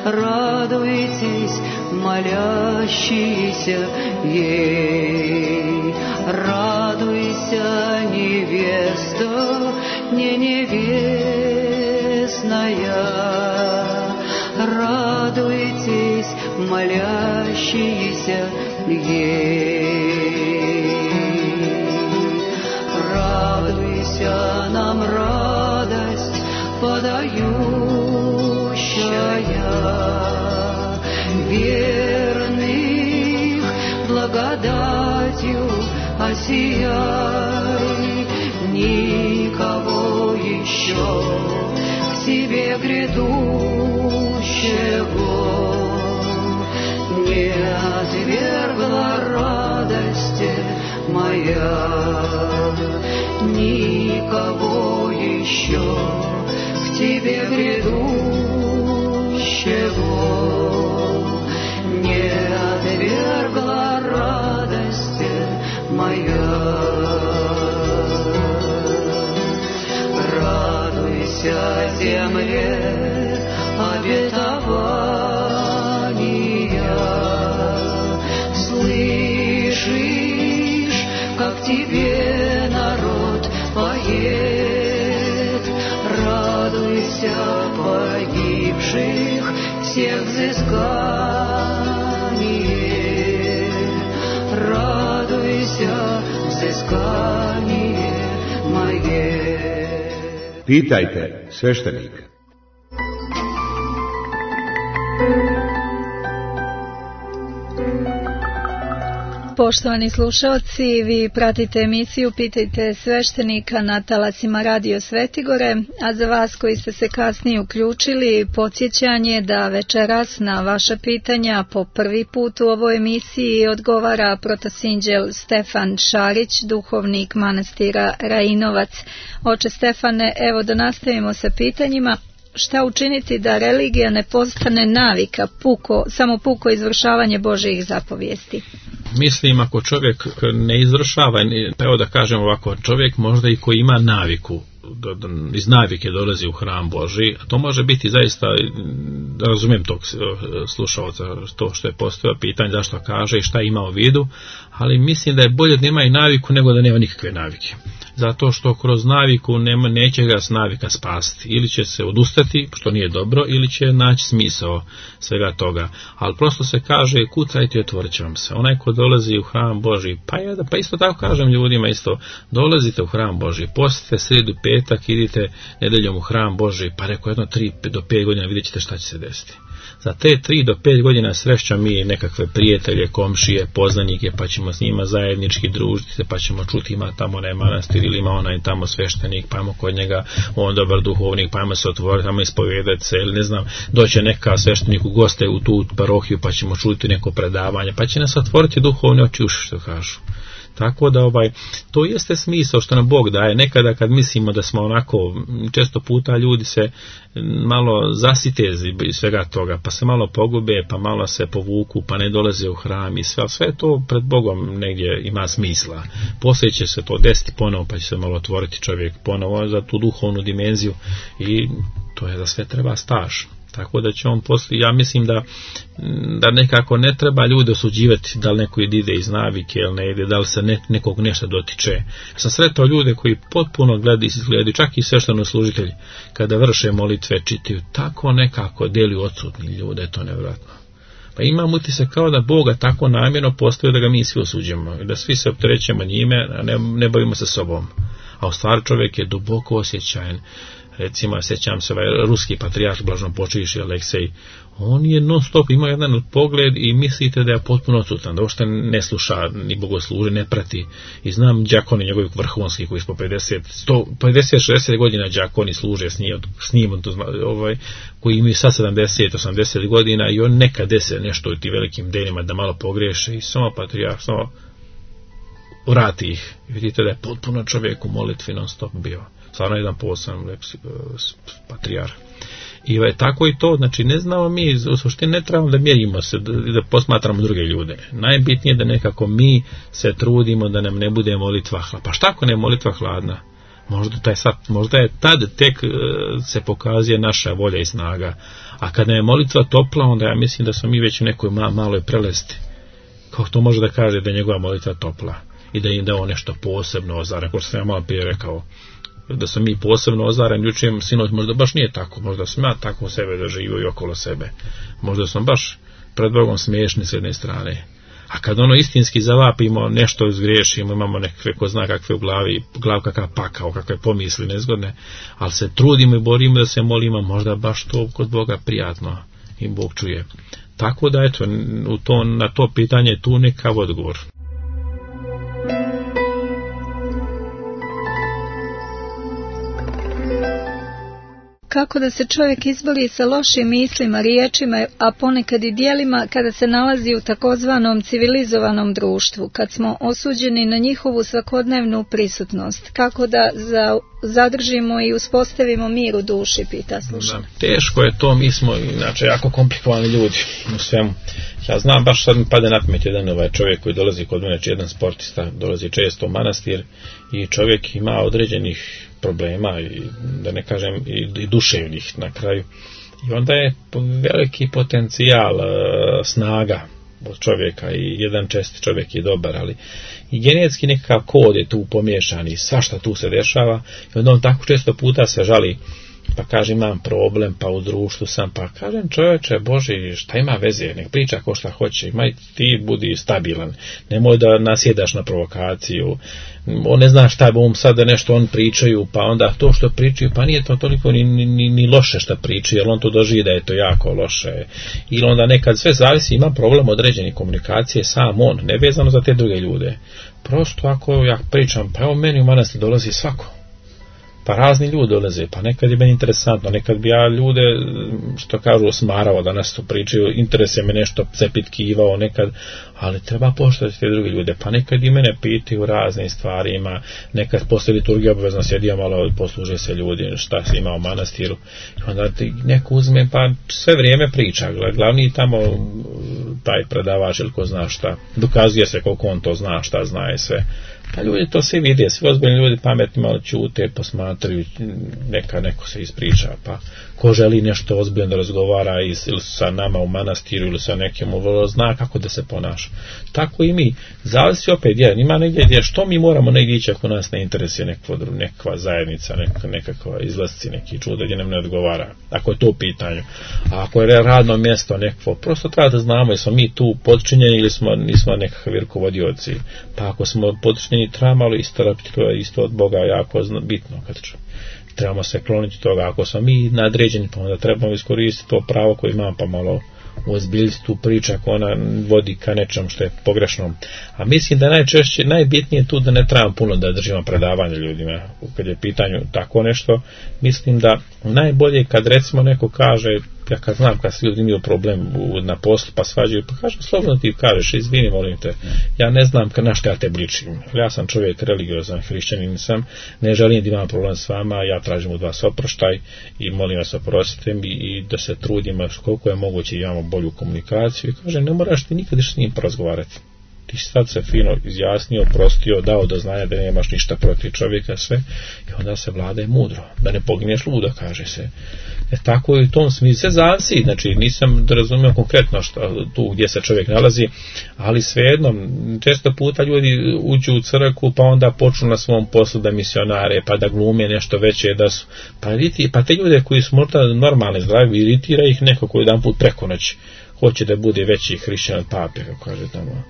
Радуйтесь, молящиеся ей, радуйтесь. Радуйся, невеста, не невестная, радуйтесь, молящиеся ей. Радуйся, нам радость подающая, верных благодатью осияй, никого еще к тебе грядущего не отвергла радости моя, никого еще к тебе грядущего не отвергла радости моя. Радуйся, земле, обетования, слышишь, как тебе народ поет. Радуйся, погибших всех взыскание, радуйся, взыскание мое. Pitajte sveštenika. Poštovani slušalci, vi pratite emisiju Pitajte sveštenika na talasima Radio Svetigore, a za vas koji ste se kasnije uključili, podsjećanje da večeras na vaša pitanja po prvi put u ovoj emisiji odgovara protosinđel Stefan Šarić, duhovnik manastira Rajinovac. Oče Stefane, evo da nastavimo sa pitanjima. Šta učiniti da religija ne postane navika, samo puko izvršavanje Božjih zapovijesti? Mislim, ako čovjek ne izvršava, evo da kažem ovako, čovjek možda i koji ima naviku, iz navike dolazi u hram Božji, a to može biti zaista, razumijem tog slušalca, to što je postavio pitanje zašto kaže i šta ima u vidu, ali mislim da je bolje da nema i naviku nego da nema nikakve navike. Zato što kroz naviku neće ga s navika spasti. Ili će se odustati, što nije dobro, ili će naći smisao svega toga. Ali prosto se kaže, kucajte i otvorit će vam se. Onaj ko dolazi u hram Božji, pa isto tako kažem ljudima isto, dolazite u hram Božji, postite srijedu, petak, idite nedeljom u hram Božji, pa reko jedno 3 do 5 godina vidjet ćete šta će se desiti. Za te 3 do 5 godina srećemo mi nekakve prijatelje, komšije, poznanike, pa ćemo s njima zajednički družiti se, pa ćemo čuti ima tamo onaj manastir ili ima onaj tamo sveštenik, pa ajmo kod njega, on dobar duhovnik, pa ajmo se otvoriti, ajmo ispovedati se, ili ne znam, doće neka sveštenik u goste u tu parohiju, pa ćemo čuti neko predavanje, pa će nas otvoriti duhovne oči uši, što kažu. Tako da to jeste smisao što nam Bog daje. Nekada kad mislimo da smo onako, često puta ljudi se malo zasite iz svega toga, pa se malo pogube, pa malo se povuku, pa ne dolaze u hram i sve to pred Bogom negdje ima smisla. Poslije će se to desiti ponovo, pa će se malo otvoriti čovjek ponovo za tu duhovnu dimenziju i to je da sve treba staž. Tako da će on poslije, ja mislim da nekako ne treba ljude osuđivati da li neko ide iz navike ili ne ide, da li se nekog nešto dotiče. Ja sam sretao ljude koji potpuno gledaju, čak i sveštenoslужitelji, kada vrše molitve, čitaju, tako nekako djeluju odsutni ljude, to je nevjerojatno. Pa imam utisak kao da Boga tako namjerno postavio da ga mi svi osuđujemo, da svi se opterećemo njime, a ne bavimo se sobom. A u stvari čovjek je duboko osjećajan. Recimo, sjećam se ruski patrijarh blaženopočivši Aleksej, on je non stop imao jedan pogled i mislite da je potpuno odsutan, da uopšte ne sluša ni bogosluži, ne prati. I znam đakoni njegovih vrhunskih koji po 50-60 godina đakoni služe s njim koji imaju sad 70-80 godina i on nekad dese nešto u tim velikim denima da malo pogreše i samo patrijarh samo vrati ih. Vidite da je potpuno čovjek u molitvi non stop bio. Stvarno jedan poseban patrijarh. I tako i to, znači ne znamo mi, u suštini ne trebamo da mjerimo se, da posmatramo druge ljude. Najbitnije je da nekako mi se trudimo da nam ne bude molitva hladna. Pa šta ako ne je molitva hladna? Možda je tad tek se pokazuje naša volja i snaga. A kad nam je molitva topla, onda ja mislim da smo mi već u nekoj maloj prelesti. Kako to može da kaže da je njegova molitva topla? i da im dao nešto posebno ozaren, kao što sam ja malo prije rekao, da sam mi posebno ozaren, jučer sinoć možda baš nije tako, možda sam ja tako sebe doživio i okolo sebe, možda sam baš pred Bogom smiješni s jedne strane. A kad ono istinski zavapimo, nešto izgriješimo, imamo nekakve, ko zna kakve u glav kakav pakao, kakve pomisli nezgodne, ali se trudimo i borimo da se molimo, možda baš to kod Boga prijatno i Bog čuje. Tako da, eto, na to pitanje tu nekav odgovor. Kako da se čovjek izbori sa lošim mislima, riječima, a ponekad i djelima kada se nalazi u takozvanom civilizovanom društvu, kad smo osuđeni na njihovu svakodnevnu prisutnost? Kako da zadržimo i uspostavimo mir u duši, pita slušatelj. Teško je to, mi smo inače jako komplikovani ljudi u svemu. Ja znam, baš sad mi pade na pamet jedan čovjek koji dolazi kod mene, jedan sportista, dolazi često u manastir i čovjek ima određenih problema i da ne kažem i duševnih na kraju. I onda je veliki potencijal snaga od čovjeka i jedan česti čovjek je dobar, ali i genetski nekakav kod je tu pomiješan i svašta tu se dešava i onda on tako često puta se žali, pa kaže imam problem, pa u društvu sam, pa kažem čovječe Boži, šta ima veze, nek priča ko šta hoće, imaj ti budi stabilan, nemoj da nasjedaš na provokaciju, on ne zna šta bom sad da nešto on pričaju, pa onda to što pričaju, pa nije to toliko ni loše šta pričaju, jer on to doživi da je to jako loše, ili onda nekad sve zavisi, ima problem određene komunikacije sam on, ne vezano za te druge ljude, prosto ako ja pričam, pa evo meni u manastir dolazi svako, pa razni ljudi dolaze, pa nekad je meni interesantno, nekad bi ja ljude, što kažu, smarao da nas tu pričaju, interese me nešto zapitkivao nekad, ali treba poštovati te druge ljude, pa nekad i mene pitaju raznim stvarima, nekad posle liturgije obavezno sjedio malo, posluže se ljudi, šta se ima u manastiru, i onda ti neko uzme, pa sve vrijeme priča, glavni tamo taj predavač ili ko zna šta, dokazuje se koliko on to zna, šta zna i sve. Pa ljudi to svi vide, svi ozbiljni ljudi pametni malo ćute, posmatraju, neko se ispriča, pa ko želi nešto ozbiljno da razgovara ili sa nama u manastiru ili sa nekim, zna kako da se ponaša. Tako i mi, zavisi opet, ima negdje gdje što mi moramo negdje ići ako nas ne interesuje nekakva zajednica, nekakva izlasci, neki čuda gdje nam ne odgovara, ako je to u pitanju. A ako je radno mjesto nekako, prosto treba da znamo jesmo mi tu podčinjeni ili nismo nekakvi rukovodioci, pa ako smo podčinjeni trebamo istarapiti, to je isto od Boga jako bitno, kad trebamo se kloniti toga, ako smo mi nadređeni, pa onda trebamo iskoristiti to pravo koje imamo, pa malo ozbiljiti tu priču ako ona vodi ka nečem što je pogrešno. A mislim da najbitnije tu da ne trebamo puno da držimo predavanje ljudima. Kad je pitanju tako nešto, mislim da najbolje kad recimo neko kaže, ja kad znam kad se ljudi imaju problem na poslu pa svađaju, pa kažem slobodno ti kažeš, izvini molim te, ja ne znam na što ja te bličim, ja sam čovjek religiozan, hrišćanin sam, ne želim da imam problem s vama, ja tražim od vas oproštaj i molim vas oprostite mi i da se trudimo koliko je moguće imamo bolju komunikaciju i kažem ne moraš ti nikad s njim porazgovarati. Ti sad se fino izjasnio, oprostio, dao do znanja da nemaš ništa protiv čovjeka, sve, i onda se vladaje mudro, da ne pogineš ludo, kaže se. Tako je u tom smislu se zavisi, znači nisam da razumio konkretno tu gdje se čovjek nalazi, ali svejedno, često puta ljudi uđu u crkvu pa onda počnu na svom poslu da misionare, pa da glume nešto veće, da su, pa te ljude koji su možda normalni, zdravi, iritira ih neko koji jedan put preko noći hoće da bude veći hrišćan od pape, kako kaže tamo.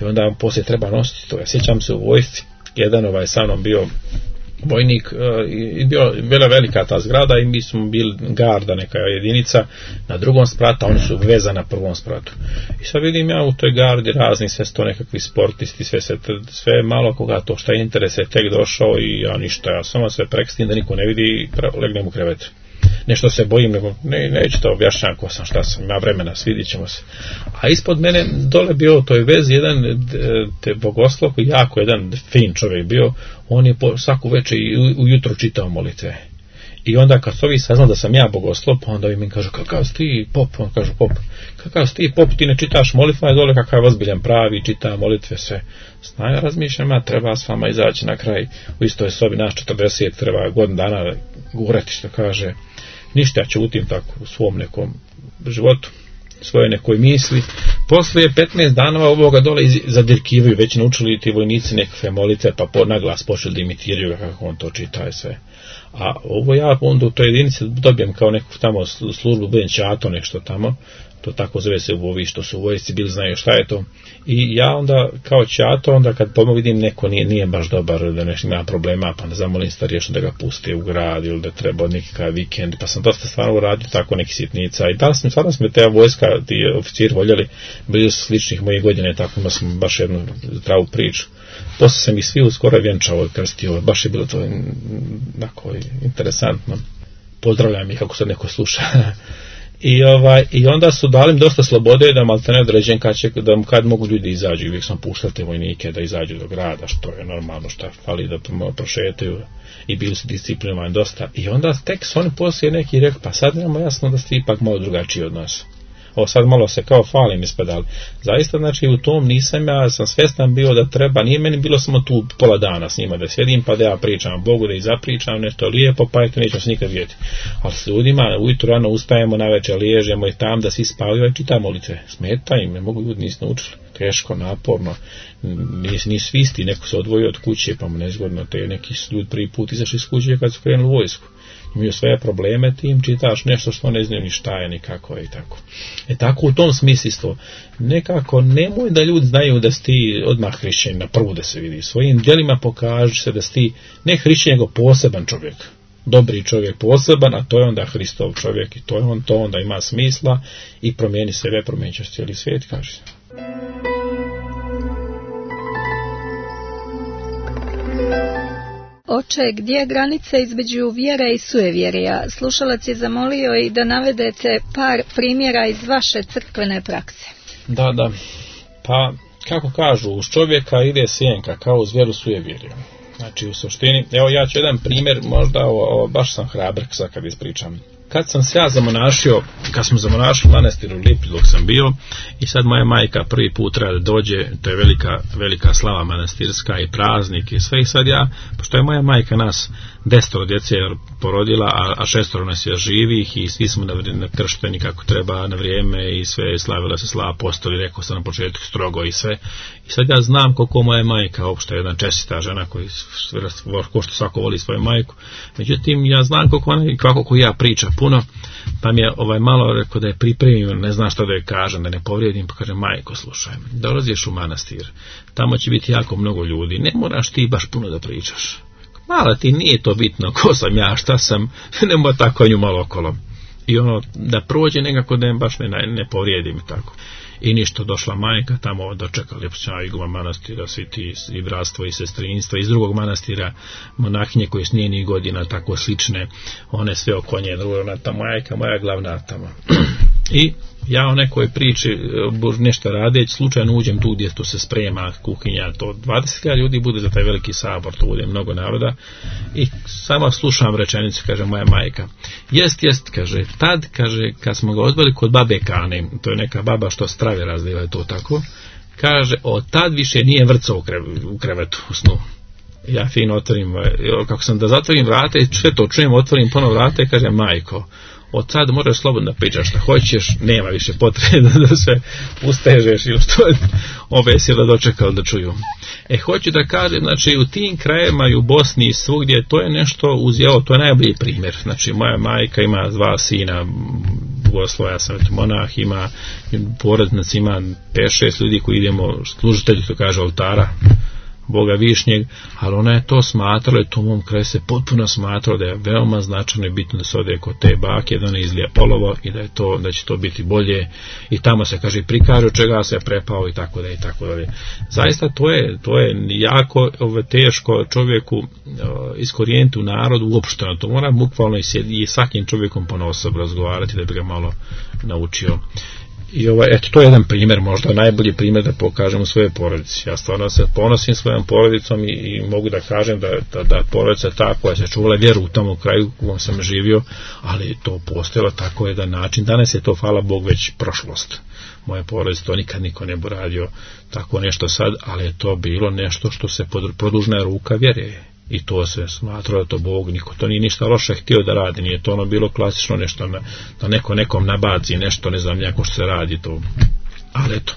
I onda vam poslije treba nositi to. Ja sjećam se u vojsci, jedan sa mnom bio vojnik, bila velika ta zgrada i mi smo bili garda, neka jedinica na drugom spratu, a oni su vezani na prvom spratu. I sad vidim ja u toj gardi razni sve sto nekakvi sportisti, sve malo koga to šta interese tek došao i ja ništa, ja samo sve prekstim da niko ne vidi i legnem u krevet. Nešto se bojim, nego neću to objašnjam ko sam, šta sam, ima vremena, svidit ćemo se. A ispod mene dole bio u toj vezi jedan bogoslov, jako jedan fin čovjek bio, on je svaku večer i ujutro čitao molitve. I onda kad su ovi saznali da sam ja bogoslov, pa onda mi kažu, kakav si ti pop, on kaže pop, kakav si ti pop, ti ne čitaš molitve, a dole kakav ozbiljan pravi, čita molitve, sve. Ja razmišljam, treba s vama izaći na kraj, u istoj sobi nas 40, treba godinu dana gurati, što kaže. Ništa, ja ćutim tako u svom nekom životu. svoje nekoj misli. Poslije 15 dana ovoga dole zadirkivaju, već naučili ti vojnici nekakve molitve, pa na glas počeli da imitiraju kako on to čita i sve. A ovo ja onda u toj jedinici dobijem kao neku tamo službu, budem čato nešto tamo, to tako zove se u ovi što su u vojsci bili, znaju šta je to. I ja onda kao čato, onda kad pomogu vidim neko nije baš dobar, da nešto ima problema, pa da zamolim starješno da ga puste u grad ili da treba nekakav vikend, pa sam dosta stvarno uradio tako neki sitnica. I da stvarno smo te vojska, ti oficiri voljeli, bili su sličnih mojih godina, tako imao sam baš jednu zdravu priču. Poslije sam ih svi uskoro vjenčao i krstio, baš je bilo to onako interesantno. Pozdravljam ih ako se neko sluša. I onda su dali im dosta slobode da maltene određen kad mogu ljudi izađu. Uvijek sam puštao te vojnike da izađu do grada, što je normalno, što fali da prošetaju, i bili su disciplinovani dosta. I onda tek su oni poslije neki rekli, pa sad nemamo jasno da ste ipak malo drugačiji od nas. Ovo sad malo se kao falim ispedali. Zaista, znači, u tom ja sam svjestan bio da treba, nije meni bilo samo tu pola dana s njima da sjedim, pa da ja pričam Bogu, da ih zapričam nešto lijepo, pa eto nećemo se nikad vidjeti. Ali s ljudima ujutro rano ustajemo, navečer liježemo i tam da svi spavaju i čitamo molitve. Smeta im, ne mogu ljudi, nisu naučili. Teško, naporno, nisu isti, neko se odvojio od kuće, pa mu nezgodno, te neki ljudi prvi put izašli iz kuće kad su krenuli u vojsku. Imaju sve probleme, ti im čitaš nešto što ne znaju ni šta je, ni kako je i tako. Tako u tom smislu, nekako nemoj da ljudi znaju da si ti odmah hrišćanin, na prvu da se vidi. Svojim djelima pokaži se da si ti ne hrišćanin, nego poseban čovjek. Dobri čovjek poseban, a to je onda Hristov čovjek i to onda ima smisla i promijeni sebe, promijenit će cijeli svijet, kaže se. Oče, gdje je granica između vjere i sujevjerja? Slušalac je zamolio i da navedete par primjera iz vaše crkvene prakse. Da. Pa, kako kažu, uz čovjeka ide sjenka, kao uz vjeru sujevjerja. Znači, u suštini, evo ja ću jedan primjer, možda baš sam hrabar sad kad ispričam. Kad sam se ja zamonašio, kad smo zamonašili u manastiru Lipi dok sam bio, i sad moja majka prvi put treba da dođe, to je velika slava manastirska i praznik i sve, i sad ja, pošto je moja majka nas 10 djece porodila, a 6 nas je živih i svi smo kršteni kako treba na vrijeme i sve slavila se slava apostoli, rekao sam na početku strogo i sve. I sad ja znam koliko moja majka, uopšte jedna čestita žena ko što svako voli svoju majku, međutim ja znam koliko ona i kako ja priča puno, pa mi je malo rekao da je pripremio, ne znam šta da je kažem, da ne povrijedim, pa kaže, majko, slušaj, dolaziš u manastir, tamo će biti jako mnogo ljudi, ne moraš ti baš puno da pričaš. Malo ti nije to bitno ko sam ja, šta sam, nemoj tako nju malo okolo. I da prođe nekako da baš ne povrijedim i tako. I ništa, došla majka, tamo dočekali iguma manastira, svi ti i bratstvo i sestrinstvo, iz drugog manastira monahinje koje s njenih godina tako slične, one sve oko nje, ona ta majka, moja glavna tamo. I ja o nekoj priči nešto radeći, slučajno uđem tu gdje to se sprema kuhinja, to 20 ljudi bude za taj veliki sabor, to bude mnogo naroda, i samo slušam rečenicu, kaže moja majka, jest, kaže, tad, kaže, kad smo ga odveli kod babe Kane, to je neka baba što strave razliva, je to tako, kaže, od tad više nije vrcao u krevetu u snu. Ja fino otvorim, kako sam da zatvorim vrata i sve to čujem, otvorim ponovo vrata i kaže, majko, od sad možeš slobodno da pričaš šta hoćeš, nema više potrebe da se ustežeš ili što je ove sila dočekali da čuju. Hoću da kažem, znači u tim krajevima i u Bosni i svugdje, to je nešto uzjelo, to je najbolji primjer. Znači moja majka ima 2 sina, Bogoslovo, ja sam monah, ima porodnac, ima 5-6 ljudi koji idemo, služitelji, to kaže, oltara Boga Višnjeg, ali ona je to smatrala, i to u mom kraju se potpuno smatrala da je veoma značajno i bitno da se ode kod te bake, da ona izlije polovo i da će to biti bolje, i tamo se kaže prikaže od čega se prepao i tako da i tako dalje. Zaista to je jako teško čovjeku iskorijeniti u narodu uopšteno, to mora bukvalno i svakim čovjekom ponosob razgovarati da bi ga malo naučio. I eto, to je jedan primjer, možda najbolji primjer da pokažem u svojoj porodici. Ja stvarno se ponosim svojom porodicom i mogu da kažem da porodica je ta koja se čuvala vjeru u tom kraju u kojem sam živio, ali to postojalo tako jedan način. Danas je to, hvala Bog, već prošlost. Moje porodice, to nikad niko ne bi radio tako nešto sad, ali je to bilo nešto što se produžna ruka vjere. I to se smatralo da to Bog, niko to nije ništa loše htio da radi, nije to ono bilo klasično nešto da neko nekom nabaci nešto, ne znam jako što se radi to. Ali eto,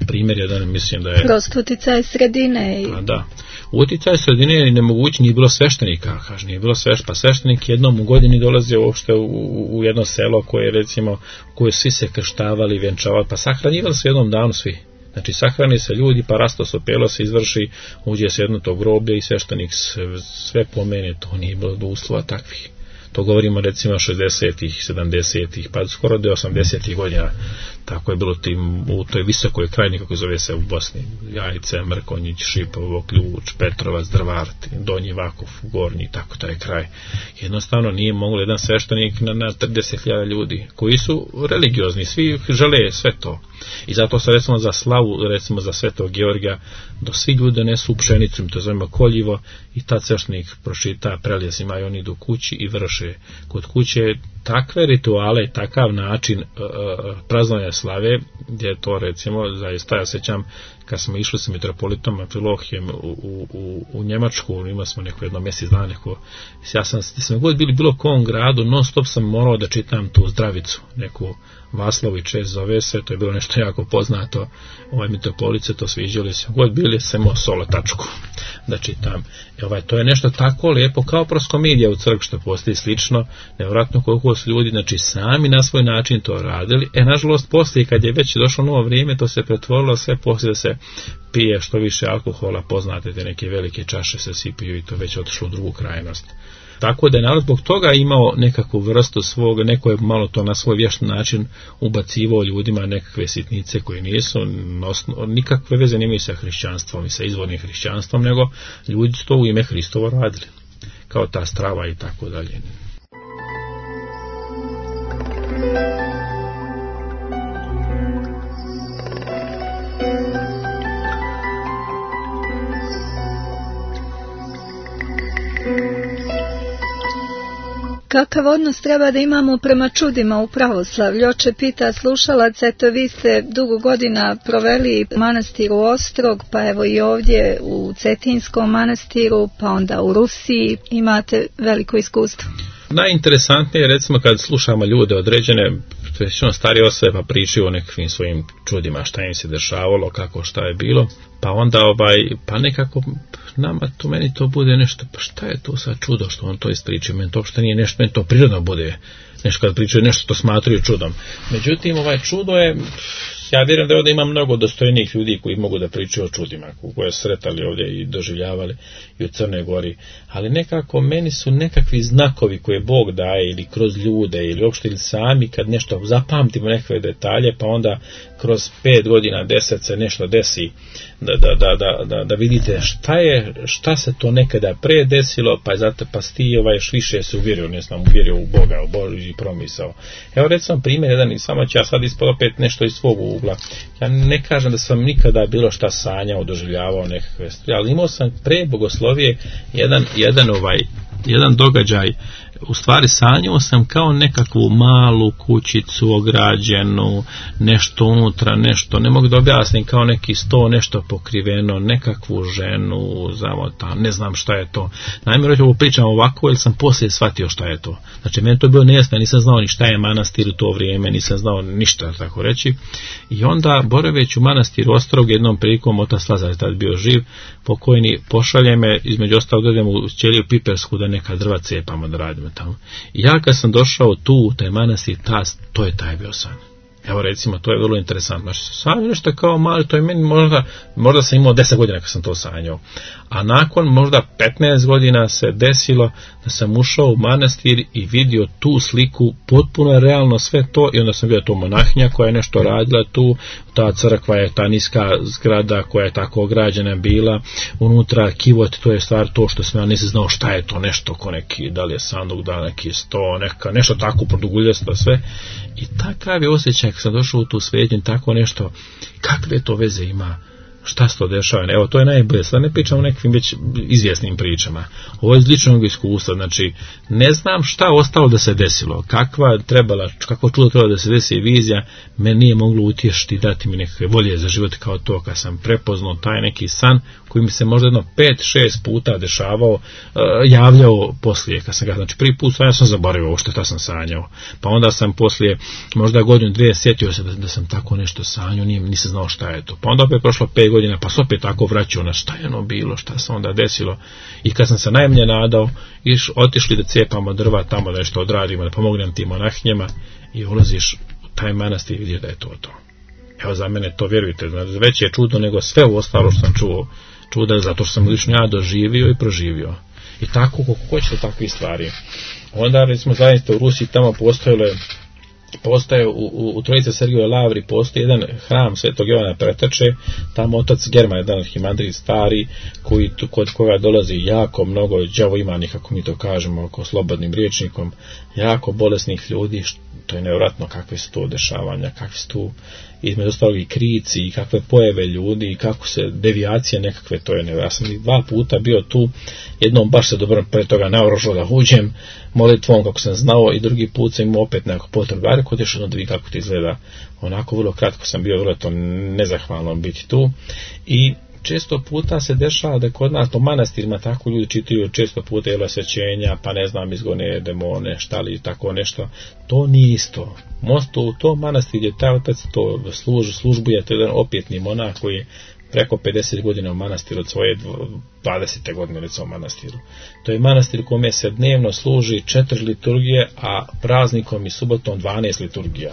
primjer je da ne mislim da je... Prosto uticaj sredine. Pa da, uticaj sredine je nemogući, nije bilo sveštenika, kaže, nije bilo pa sveštenik jednom u godini dolazio uopšte u jedno selo koje recimo, koje svi se krštavali, vjenčavali, pa sahranjivali se jednom danu svi. Znači sahrani se ljudi, pa rastosopelo se izvrši, uđe se jedno to groblje i sveštenik sve pomene, to nije bilo do uslova takvih. To govorimo recimo 60-ih, 70-ih, pa skoro do 80-ih godina. Tako je bilo u toj visokoj krajini, kako zove se u Bosni. Jajce, Mrkonjić, Šipovo, Ključ, Petrovac, Drvar, Donji Vakov, Gornji, tako taj kraj. Jednostavno nije moglo jedan sveštenik na 30.000 ljudi, koji su religiozni, svi žele sve to. I zato se recimo za slavu, recimo za Svetog Georgija, do svi ljudi nesu pšenicu, mi to zovemo koljivo, i tad sveštenik pročita prelijez, imaju oni do kući i vrše kod kuće takve rituale, takav način praznovanja slave, gdje je to recimo, zaista ja sećam kad smo išli sa mitropolitom Amfilohijem u Njemačku, imali smo jedno mjesec dana, ja sam god bili bilo kom gradu, non stop sam morao da čitam tu zdravicu, neku Vaslović zove se, to je bilo nešto jako poznato, mitropolice to sviđali se, god bili samo solotačku da čitam. To je nešto tako lijepo, kao proskomidija u crkvi što postoji slično, nevjerojatno koliko su ljudi, znači sami na svoj način to radili. Nažalost, poslije kad je već došlo novo vrijeme, to se pretvorilo sve poslije da se pije što više alkohola, poznate te neke velike čaše se sipiju i to već otišlo u drugu krajnost. Tako da je narod zbog toga imao nekakvu vrstu svog, neko je malo to na svoj vješt način ubacivao ljudima nekakve sitnice koje nisu, nikakve veze nemaju sa hrišćanstvom i sa izvornim hrišćanstvom, nego ljudi su to u ime Hristovo radili, kao ta strava i tako dalje. Kakav odnos treba da imamo prema čudima u pravoslavlju? Oče pita slušalac, eto vi ste dugo godina proveli u manastiru Ostrog, pa evo i ovdje u Cetinskom manastiru, pa onda u Rusiji, imate veliko iskustvo. Najinteresantnije je recimo kad slušamo ljude određene, većinom starije osobe pa pričaju o nekakvim svojim čudima, šta im se dešavalo, kako šta je bilo, pa onda pa nekako nama to, meni to bude nešto, pa šta je to sad čudo što on to ispriča, meni to što nije nešto, meni to prirodno bude nešto kad pričaju nešto to smatraju čudom. Međutim, čudo je, ja vjerujem da ovdje ima mnogo dostojnih ljudi koji mogu da pričaju o čudima, koje sretali ovdje i doživljavali i u Crnoj Gori, ali nekako meni su nekakvi znakovi koje Bog daje ili kroz ljude ili uopšte ili sami kad nešto zapamtimo nekakve detalje, pa onda kroz 5 godina, 10 se nešto desi, da vidite šta se to nekada pre desilo, pa ti još više se uvjerio u Boga, u Božji promisao. Evo recimo primjer jedan, i samo ću ja sad ispod opet nešto iz svog ugla. Ja ne kažem da sam nikada bilo šta sanjao, doživljavao nekakve stvari, ali imao sam pre bogoslovije jedan događaj. U stvari sanjao sam kao nekakvu malu kućicu ograđenu, nešto unutra, nešto, ne mogu da objasnim, kao neki sto nešto pokriveno, nekakvu ženu zamotanu, ne znam šta je to. Naime, ovo pričam ovako, jer sam poslije shvatio šta je to. Znači, meni to je bilo nejasno, nisam znao ni šta je manastir u to vrijeme, nisam znao ništa, tako reći. I onda, boraveć u manastiru Ostrog, jednom prilikom, otac Lazar je tad bio živ, pokojni, pošalje me, između ostalog dođem u Ćeliju Pipersku da neka drva cepamo, da radimo tamo. I ja kad sam došao tu u taj manastir, to je taj bio san. Evo recimo, to je vrlo interesantno. Sam je nešto kao mali, to je meni možda sam imao 10 godina kad sam to sanjao. A nakon možda 15 godina se desilo da sam ušao u manastir i vidio tu sliku, potpuno realno sve to, i onda sam vidio to monahinja koja je nešto radila tu, ta crkva je ta niska zgrada koja je tako ograđena bila, unutra kivot, to je stvar to što sam ja nisam znao šta je to, nešto ko neki, da li je sanduk, da li neki sto, nešto tako produguljesto sve. I takav je osjećaj kad sam došao u tu svetinju, tako nešto, kakve to veze ima šta se to dešava. Evo, to je najbolje. Sad ne pričam o nekim već izvjesnim pričama. Ovo je iz ličnog iskustva. Znači, ne znam šta ostalo da se desilo. Kako čudo trebalo da se desi vizija, me nije moglo utješiti, dati mi nekakve volje za život kao to, kad sam prepoznao taj neki san koji mi se možda jedno 5-6 puta dešavao, javljao poslije. Kad sam ga, znači, prvi put ja sam zaboravio ovo šta sam sanjao. Pa onda sam poslije možda godinu, dvije, sjetio se da sam tako nešto sanjao, nisam znao šta je to. Pa onda opet prošlo 5 godina, pa se opet tako vraćao na šta je ono bilo, šta se onda desilo. I kad sam se najmanje nadao, otišli da cijepamo drva tamo, da nešto odradimo, da pomognem tim monahinjama i ulaziš u taj manastir i vidiš da je to. Evo, za mene to, vjerujte, već je čudo nego sve u ostalo što sam čuda, zato što sam lično ja doživio i proživio. I tako, kako hoćete takve stvari. Onda, recimo, zaista u Rusiji tamo postoje u Trojice Sergijevoj lavri postoji jedan hram Svetog Jovana Pretače, tamo otac German, jedan arhimandrit stari, kod koga dolazi jako mnogo đavoimanih, kako mi to kažemo, oko slobodnim rječnikom, jako bolesnih ljudi. To je nevjerojatno kakve su to dešavanja, kakve su tu između ostalog i krici, i kakve pojave ljudi, i kako se devijacije nekakve, to je nevjerojatno. Ja sam 2 puta bio tu, jednom baš se dobro pre toga naoružao da uđem molitvom kako sam znao, i drugi put sam imao opet neko potrebu, a rekao još da vidi kako to izgleda. Onako vrlo kratko sam bio, vrlo to nezahvalno biti tu. I često puta se dešava da kod nas po manastirima tako ljudi čitaju često puta osvećenja, pa ne znam, izgone demone, šta li, tako nešto. To nije isto. U tom manastiru gdje taj otac to službuje, to je jedan opjetni monah koji je preko 50 godina u manastiru, od svoje 20. godine recimo u manastiru. To je manastir u kome se dnevno služi 4 liturgije, a praznikom i subotom 12 liturgija.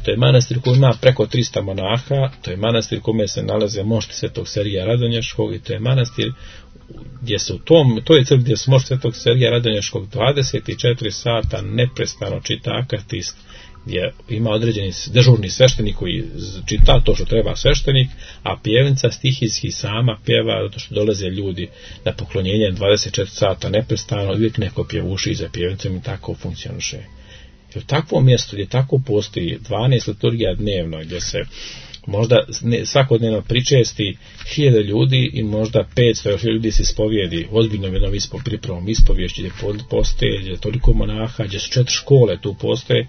To je manastir koji ima preko 300 monaha, to je manastir u kome se nalaze mošti Svetog Sergija Radonješkog, i to je manastir gdje se to je crkva gdje se mošti Svetog Sergija Radonješkog 24 sata neprestano čita akatist, gdje ima određeni dežurni sveštenik koji čita to što treba sveštenik, a pjevica stihijski sama pjeva, zato što dolaze ljudi na poklonjenje 24 sata neprestano, uvijek neko pjevuši za pjevicom, i tako funkcioniše. I u takvom mjestu gdje tako postoji 12 liturgija dnevno, gdje se možda svakodnevno pričesti 1000 ljudi i možda 500 ljudi se ispovijedi, ozbiljno jednom pripremom ispoviješći, gdje postoje, gdje je toliko monaha, gdje su 4 škole tu postoje,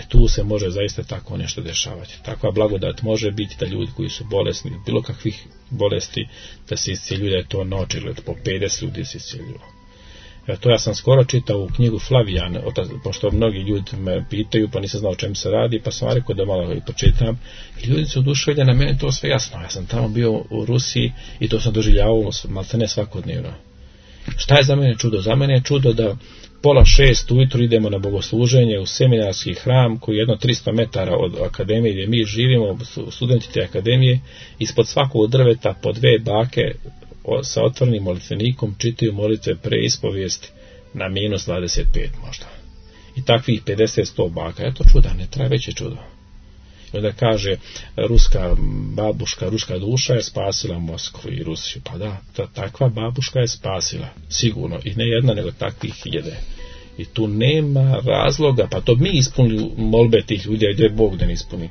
tu se može zaista tako nešto dešavati. Takva blagodat može biti da ljudi koji su bolesni, bilo kakvih bolesti, da se iscijeljuju, da je to naočigled, po 50 ljudi se iscijeljuju. To ja sam skoro čitao u knjigu Flavijan, pošto mnogi ljudi me pitaju, pa nisam znao o čemu se radi, pa sam rekao da malo i počitam. I ljudi su oduševljeni, na meni to sve jasno. Ja sam tamo bio u Rusiji i to sam doživljavao maltene svakodnevno. Šta je za mene čudo? Za mene je čudo da 5:30 ujutro idemo na bogosluženje u seminarski hram koji je jedno 300 metara od akademije gdje mi živimo, studenti te akademije, ispod svakog drveta po 2 bake sa otvorenim molitvenikom čitaju molitve pre ispovijesti na -25 možda. I takvih 50-100 baka. Eto čuda, ne traje veće čudo. I onda kaže, ruska babuška, ruska duša je spasila Moskvu i Rusiju. Pa da, takva babuška je spasila, sigurno. I ne jedna, nego takvih 1000. I tu nema razloga, pa to mi ispunili molbe tih ljudi, a gdje Bog da ne ispuni.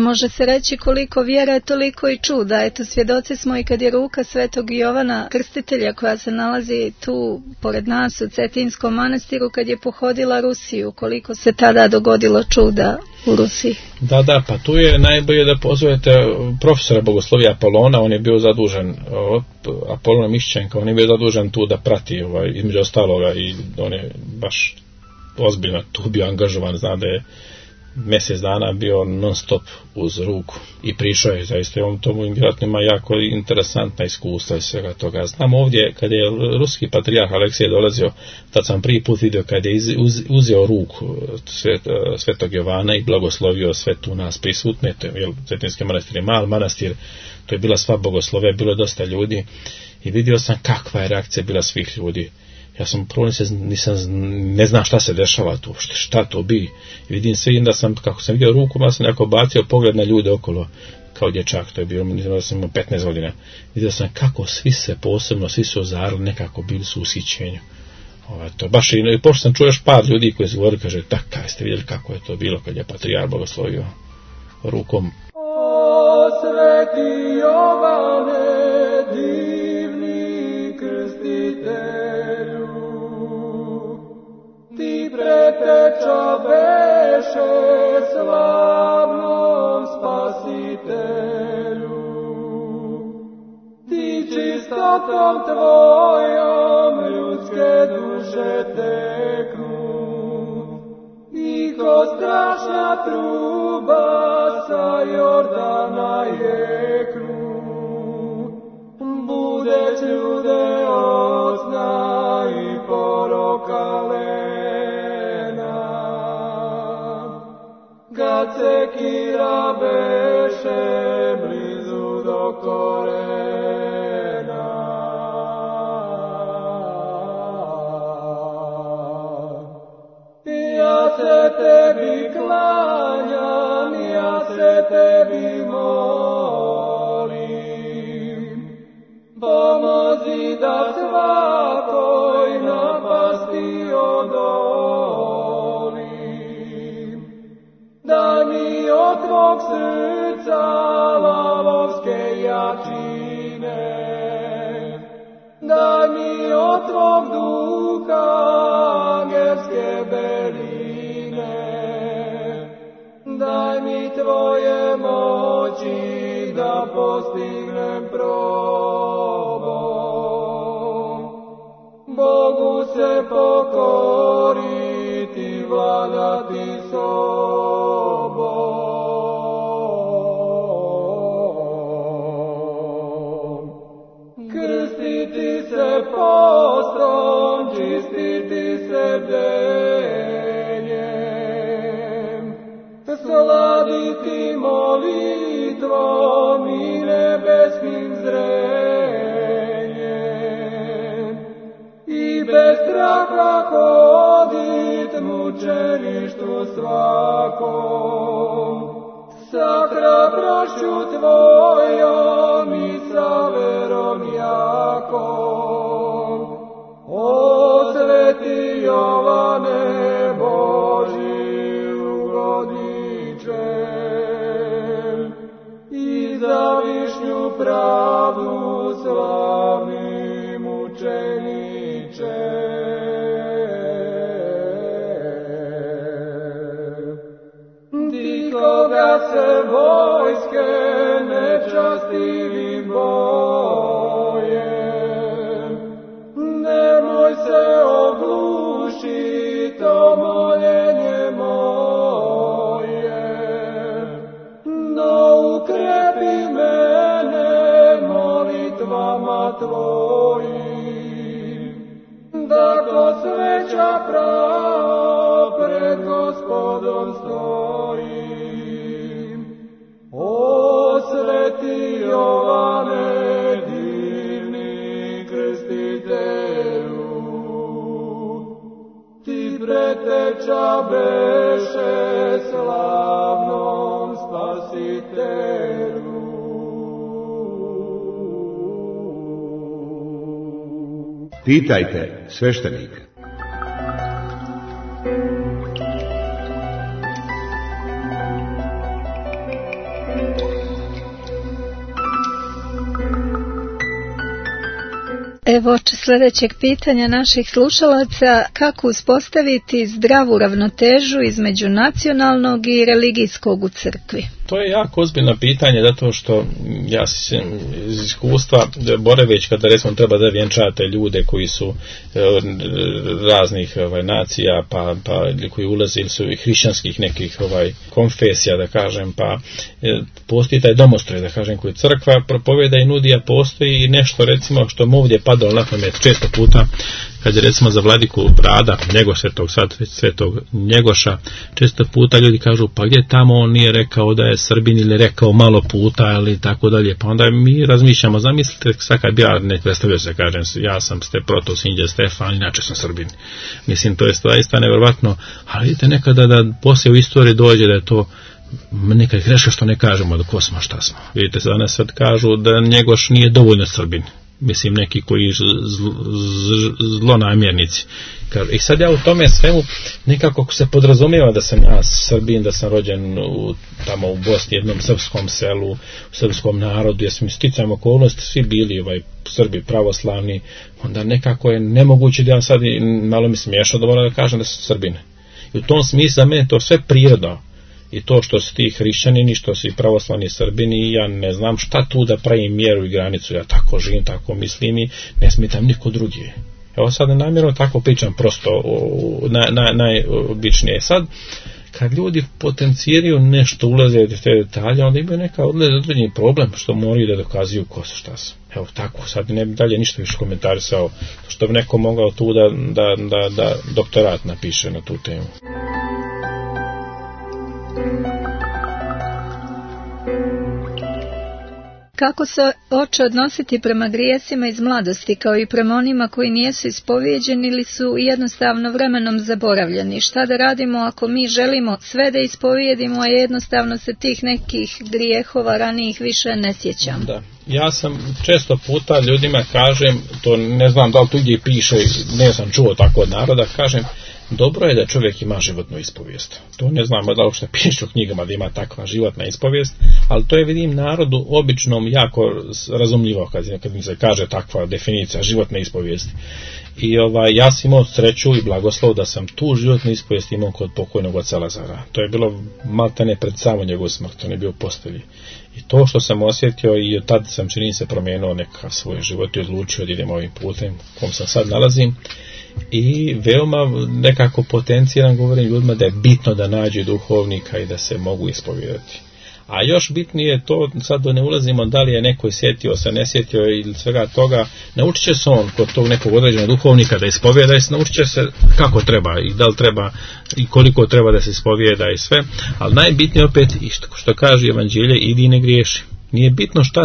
Može se reći koliko vjera, toliko i čuda. Eto, svjedoci smo i kad je ruka Svetog Jovana Krstitelja, koja se nalazi tu pored nas u Cetinskom manastiru, kad je pohodila Rusiju, koliko se tada dogodilo čuda u Rusiji. Da, pa tu je najbolje da pozovete profesora bogoslovija Apolona, on je bio zadužen, Apolona Mišćenka, on je bio zadužen tu da prati između ostaloga, i on je baš ozbiljno tu bio angažovan, zna da je mjesec dana bio non stop uz ruku i pričao je zaista, on tomu vjerojatno ima jako interesantna iskustva i svega toga. Znam ovdje kad je ruski patrijarh Aleksije dolazio, tad sam prvi put vidio kad je uzeo ruku Svetog Jovana i blagoslovio sve tu nas prisutne. Cetinski manastir je mal manastir, to je bila sva bogoslove, bilo je dosta ljudi i vidio sam kakva je reakcija bila svih ljudi. Ja sam prvo ne znam šta se dešava tu, šta to bi. I vidim sve, da sam, kako sam vidio ruku, ja sam nekako bacio pogled na ljude okolo, kao dječak, to je bilo, da sam imao 15 godina. Vidio sam kako svi se posebno, svi su ozarili, nekako bili su u ushićenju. To baš i pošto sam čuo još par ljudi koji se govori, kaže, kaj ste vidjeli kako je to bilo kad je patrijarh blagoslovio rukom. O sveti Jovane, životom tvojom ljudske duše teknu, i ko strašna truba sa Jordana jeknu, budeć ljude od sna i poroka lena. Kad sekira beše blizu do korena, ja se tebi klanjam, ja se tebi molim, pomozi da svakoj napasti odolim. Daj mi od tvog srca lavovske jačine, daj mi od tvog duha angelske beline, daj mi tvoje moći da postignem probom. Bogu se pokoriti, vladati sobom. Krstiti se postrom, čistiti se bdenjem, sladiti molitvom i nebeskim zrenjem, i bez straha hodit mučeništvu svakom, sa hrabrošću tvojom i sa verom jakom. O sveti Jovane Božji ugodičem, i za višnju pravdu slavni mučeniče. Ti koga se vojske nečastivim boje, nemoj se oglušit o moljenje moje, no ukrepi mene molitvama tvojim, da ko sveća pravo pred Gospodom stojim. O sveti Jovane, divni krstitelju, ti preteča beše slavnom spasitelju. Pitajte sveštenika. Evo oče sljedećeg pitanja naših slušalaca: kako uspostaviti zdravu ravnotežu između nacionalnog i religijskog u crkvi? To je jako ozbiljno pitanje, zato što ja iz iskustva boreveć kada recimo treba da vjenčate ljude koji su raznih nacija, pa koji ulaze ili su hrišćanskih nekih konfesija, da kažem, pa postoji taj domostroj, da kažem, koji crkva propoveda i nudi, a postoji i nešto recimo što mu ovdje padalo na pamet često puta, kad je recimo za vladiku Brada, svetog Njegoša, često puta ljudi kažu, pa gdje tamo on nije rekao da je Srbin ili rekao malo puta ili tako dalje, pa onda mi razmišljamo, zamislite sad kad bi ja ne predstavio se, kažem, ja sam protosinđe Stefan, inače sam Srbin. Mislim, to je zaista nevjerovatno, ali vidite nekada da poslije u istoriji dođe da je to nekad greška što ne kažemo da ko smo, šta smo. Vidite, danas sad kažu da Njegoš nije dovoljno Srbin. Mislim, neki koji zlonamjernici. I sad ja u tome svemu nekako se podrazumijeva da sam ja Srbin, da sam rođen tamo u Bosni, jednom srpskom selu, u srpskom narodu, jer smo sticajem okolnosti svi bili Srbi pravoslavni, onda nekako je nemoguće da ja sad, malo mi smiješno da moram da kažem da sam Srbin. I u tom smislu za mene to sve priroda. I to što si ti hrišćanini, što si pravoslavni Srbini, ja ne znam šta tu da pravim mjeru i granicu, ja tako živim, tako mislim i ne smetam niko drugi. Evo sad namjerno tako pričam prosto, najobičnije. Sad, kad ljudi potenciraju nešto, ulaze u te detalje, onda imaju neka određeni problem što moraju da dokazuju ko su, šta su. Evo tako, sad ne bi dalje ništa više komentarisao, što bi neko mogao tu da doktorat napiše na tu temu. Kako se oče odnositi prema grijesima iz mladosti, kao i prema onima koji nijesu ispovijeđeni ili su jednostavno vremenom zaboravljeni? Šta da radimo ako mi želimo sve da ispovijedimo, a jednostavno se tih nekih grijehova ranijih više ne sjećam? Da. Ja sam često puta ljudima kažem, to ne znam da li tu gdje piše, ne sam čuo tako od naroda, kažem, dobro je da čovjek ima životnu ispovijest. To ne znam da li uopšte piše u knjigama da ima takva životna ispovijest, ali to je, vidim, narodu običnom jako razumljivo kad mi se kaže takva definicija životne ispovijesti. I ja sam imao sreću i blagoslov da sam tu životnu ispovijest imao kod pokojnog oca Lazara. To je bilo maltene pred samo njegovu smrt, on je bio u postelji. I to što sam osjetio, i od tada sam čini se promijenio neka svoj život i odlučio da idem ovim putem u kom sam sad nalazim. I veoma nekako potenciran govorim ljudima da je bitno da nađu duhovnika i da se mogu ispovijedati. A još bitnije je to, sad da ne ulazimo da li je neko sjetio se, ne sjetio ili svega toga, naučit će se on kod tog nekog određenog duhovnika da ispovijeda i naučit će se kako treba i da li treba i koliko treba da se ispovijeda i sve, ali najbitnije opet, što kaže Evanđelje, idi ne griješi. Nije bitno šta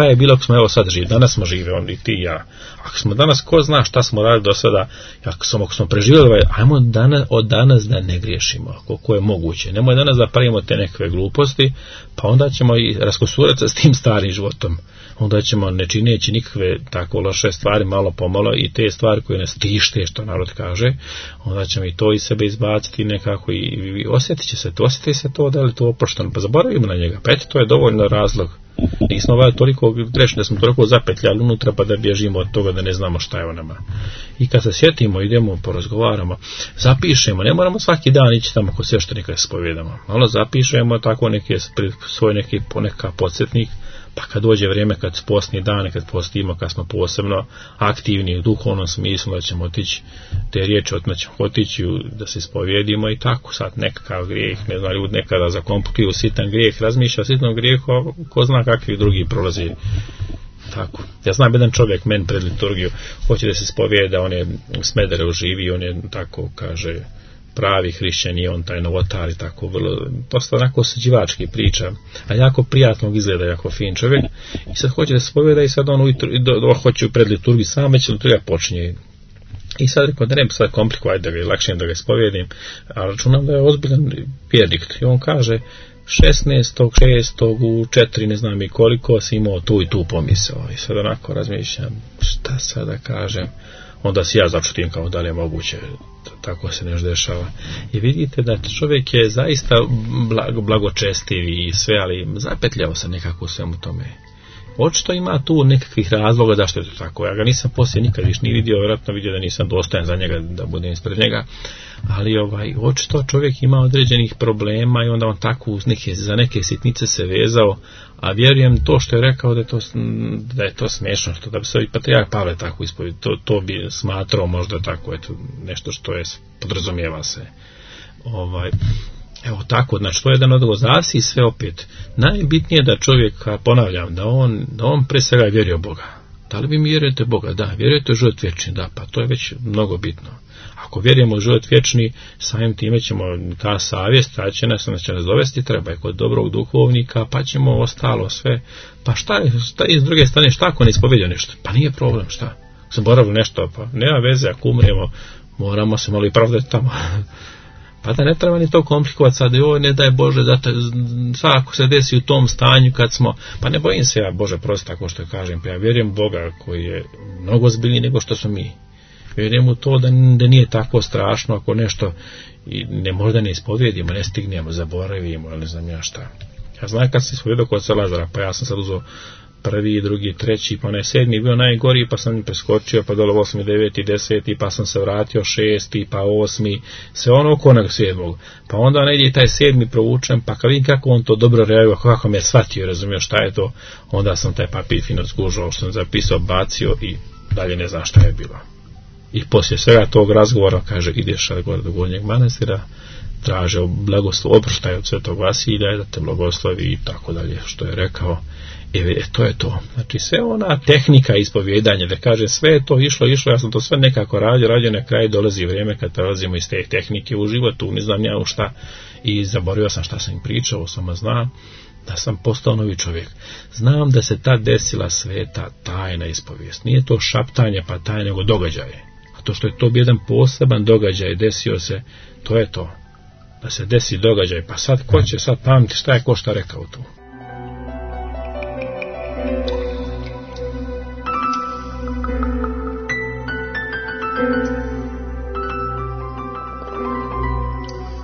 je bilo ako smo evo sad živi. Danas smo živi, on i ti i ja. Ako smo danas, ko zna šta smo radili do sada, ako smo preživjeli, ajmo od danas da ne griješimo, koliko je moguće. Nemoj danas da pravimo te nekakve gluposti, pa onda ćemo i raskosurati se s tim starim životom. Onda ćemo, ne čineći nikakve tako loše stvari, malo pomalo, i te stvari koje nas tište, što narod kaže, onda ćemo i to iz sebe izbaciti nekako i osjeti se to da li to oprošteno, pa zaboravimo na njega, pa eto, to je dovoljno razlog. Nismo toliko grešni da smo toliko zapetljali unutra pa da bježimo od toga da ne znamo šta je o nama. I kad se sjetimo, idemo, porazgovaramo, zapišemo, ne moramo svaki dan ići tamo kod sveštenika da se spovijedamo, malo zapišemo tako svoj neka podsjetnik, pa kad dođe vrijeme, kad postni dane, kad postimo, kad smo posebno aktivni u duhovnom smislu, da ćemo otići te riječi, otići da se ispovijedimo i tako. Sad nekakav grijeh, ne znam, ljudi nekada zakomplikuju sitan grijeh, razmišlja o sitnom grijehu, ko zna kakvi drugi prolazi. Tako. Ja znam jedan čovjek, men pred liturgiju, hoće da se ispovijeda, on je u Smederevu živi, on je tako, kaže, pravi hrišćan i on taj novotar i tako vrlo, dosta onako osuđivački priča, a jako prijatno izgleda, jako fin čovjek, i sad hoće da se poveda i sad on hoće pred liturgiju sam, već liturgija počinje. I sad rekao da ne bi sad komplikovati da ga je lakše da ga ispovijedim, a računam da je ozbiljan vjernik. I on kaže 16.6. u 4 ne znam i koliko si imao tu i tu pomisao. I sad onako razmišljam šta sad da kažem. Onda si ja začutim kao da li je moguće, tako se nešto dešava. I vidite da čovjek je zaista blagočestiv i sve, ali zapetljao se nekako u svemu tome. Očito ima tu nekakvih razloga da što je to tako. Ja ga nisam poslije nikad više ni vidio, vjerojatno vidio da nisam dostojan za njega, da budem ispred njega. Ali očito čovjek ima određenih problema i onda on tako za neke sitnice se vezao, a vjerujem to što je rekao da je to smiješno, što da bi se i patrijarh Pavle tako ispovjedio, to bi smatrao možda tako, eto, nešto što je podrazumijeva se. Evo tako, znači to je jedan odgovor, zavisi sve opet. Najbitnije da čovjek, ponavljam, da on pre svega vjeruje u Boga. Da li vi mi vjerujete u Boga? Da. Vjerujete u život vječni? Da, pa to je već mnogo bitno. Ako vjerujemo u život vječni, samim time ćemo, ta savjest, ta će nas dovesti, treba je kod dobrog duhovnika, pa ćemo ostalo sve. Pa šta je s druge strane, šta ako ne ispovjedio nešto? Pa nije problem, šta? Zaboravili nešto, pa nema veze, ako umremo, moramo se malo i pravdati tamo. Pa da ne treba ni to komplikovati sad, ne daj Bože, sad ako se desi u tom stanju kad smo, pa ne bojim se ja, Bože prosti, tako što kažem, pa ja vjerujem Boga koji je mnogo ozbiljniji nego što smo mi. Vjerujem u to da nije tako strašno ako nešto ne možda ne ispovjedimo, ne stignemo, zaboravimo, ali ne znam ja šta. Ja znam kad sam ispovjedao kod Lazara, pa ja sam sad uzeo prvi, drugi, treći, pa onaj 7. bio najgori, pa sam preskočio, pa dole 8., 9., 10., pa sam se vratio 6., pa 8., sve ono oko onog 7. Pa onda negdje taj 7. provučem, pa kad vidim kako on to dobro reaguje, kako me shvatio, razumio šta je to, onda sam taj papir fino skužao, što sam zapisao, bacio i dalje ne znam šta je bilo. I poslije svega tog razgovora kaže, ideš gore do Gornjeg manastira, traže blagoslov, oproštaj od Svetog Vasilija, da te blagoslovi i tako dalje, što je rekao. To je to. Znači sve ona tehnika ispovjedanja, da kaže sve je to išlo, ja sam to sve nekako radio, na kraju dolazi vrijeme kad prelazimo iz te tehnike u životu, ne znam ja u šta, i zaboravio sam šta sam im pričao, samo znam da sam postao novi čovjek. Znam da se tad desila sveta tajna ispovijest. Nije to šaptanje pa tajna, nego događaje. A to što je to bio jedan poseban događaj, desio se, to je to. Da se desi događaj, pa sad ko će sad pamti šta je ko šta rekao tu.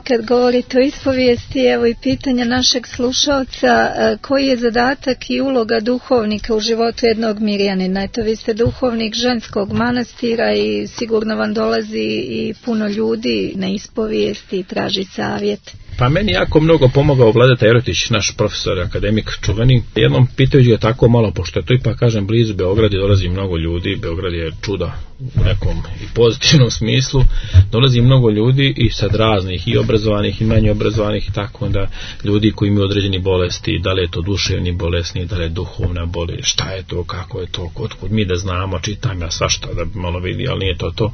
Kad govorite o ispovijesti, evo i pitanja našeg slušalca, koji je zadatak i uloga duhovnika u životu jednog mirjanina? Eto, vi ste duhovnik ženskog manastira i sigurno vam dolazi i puno ljudi na ispovijesti i traži savjet. Pa meni jako mnogo pomogao Vladeta Jerotić, naš profesor, akademik čuveni. Jednom pitajući ga tako malo, pošto je to ipak, kažem, blizu Beograda, dolazi mnogo ljudi, Beograd je čudo u nekom i pozitivnom smislu, dolazi mnogo ljudi i sad raznih, i obrazovanih i manje obrazovanih, i tako onda ljudi koji imaju određeni bolesti, da li je to duševni bolesni, da li je duhovna bolest, šta je to, kako je to, otkud mi da znamo, čitam ja svašta da bi malo vidi, ali nije to.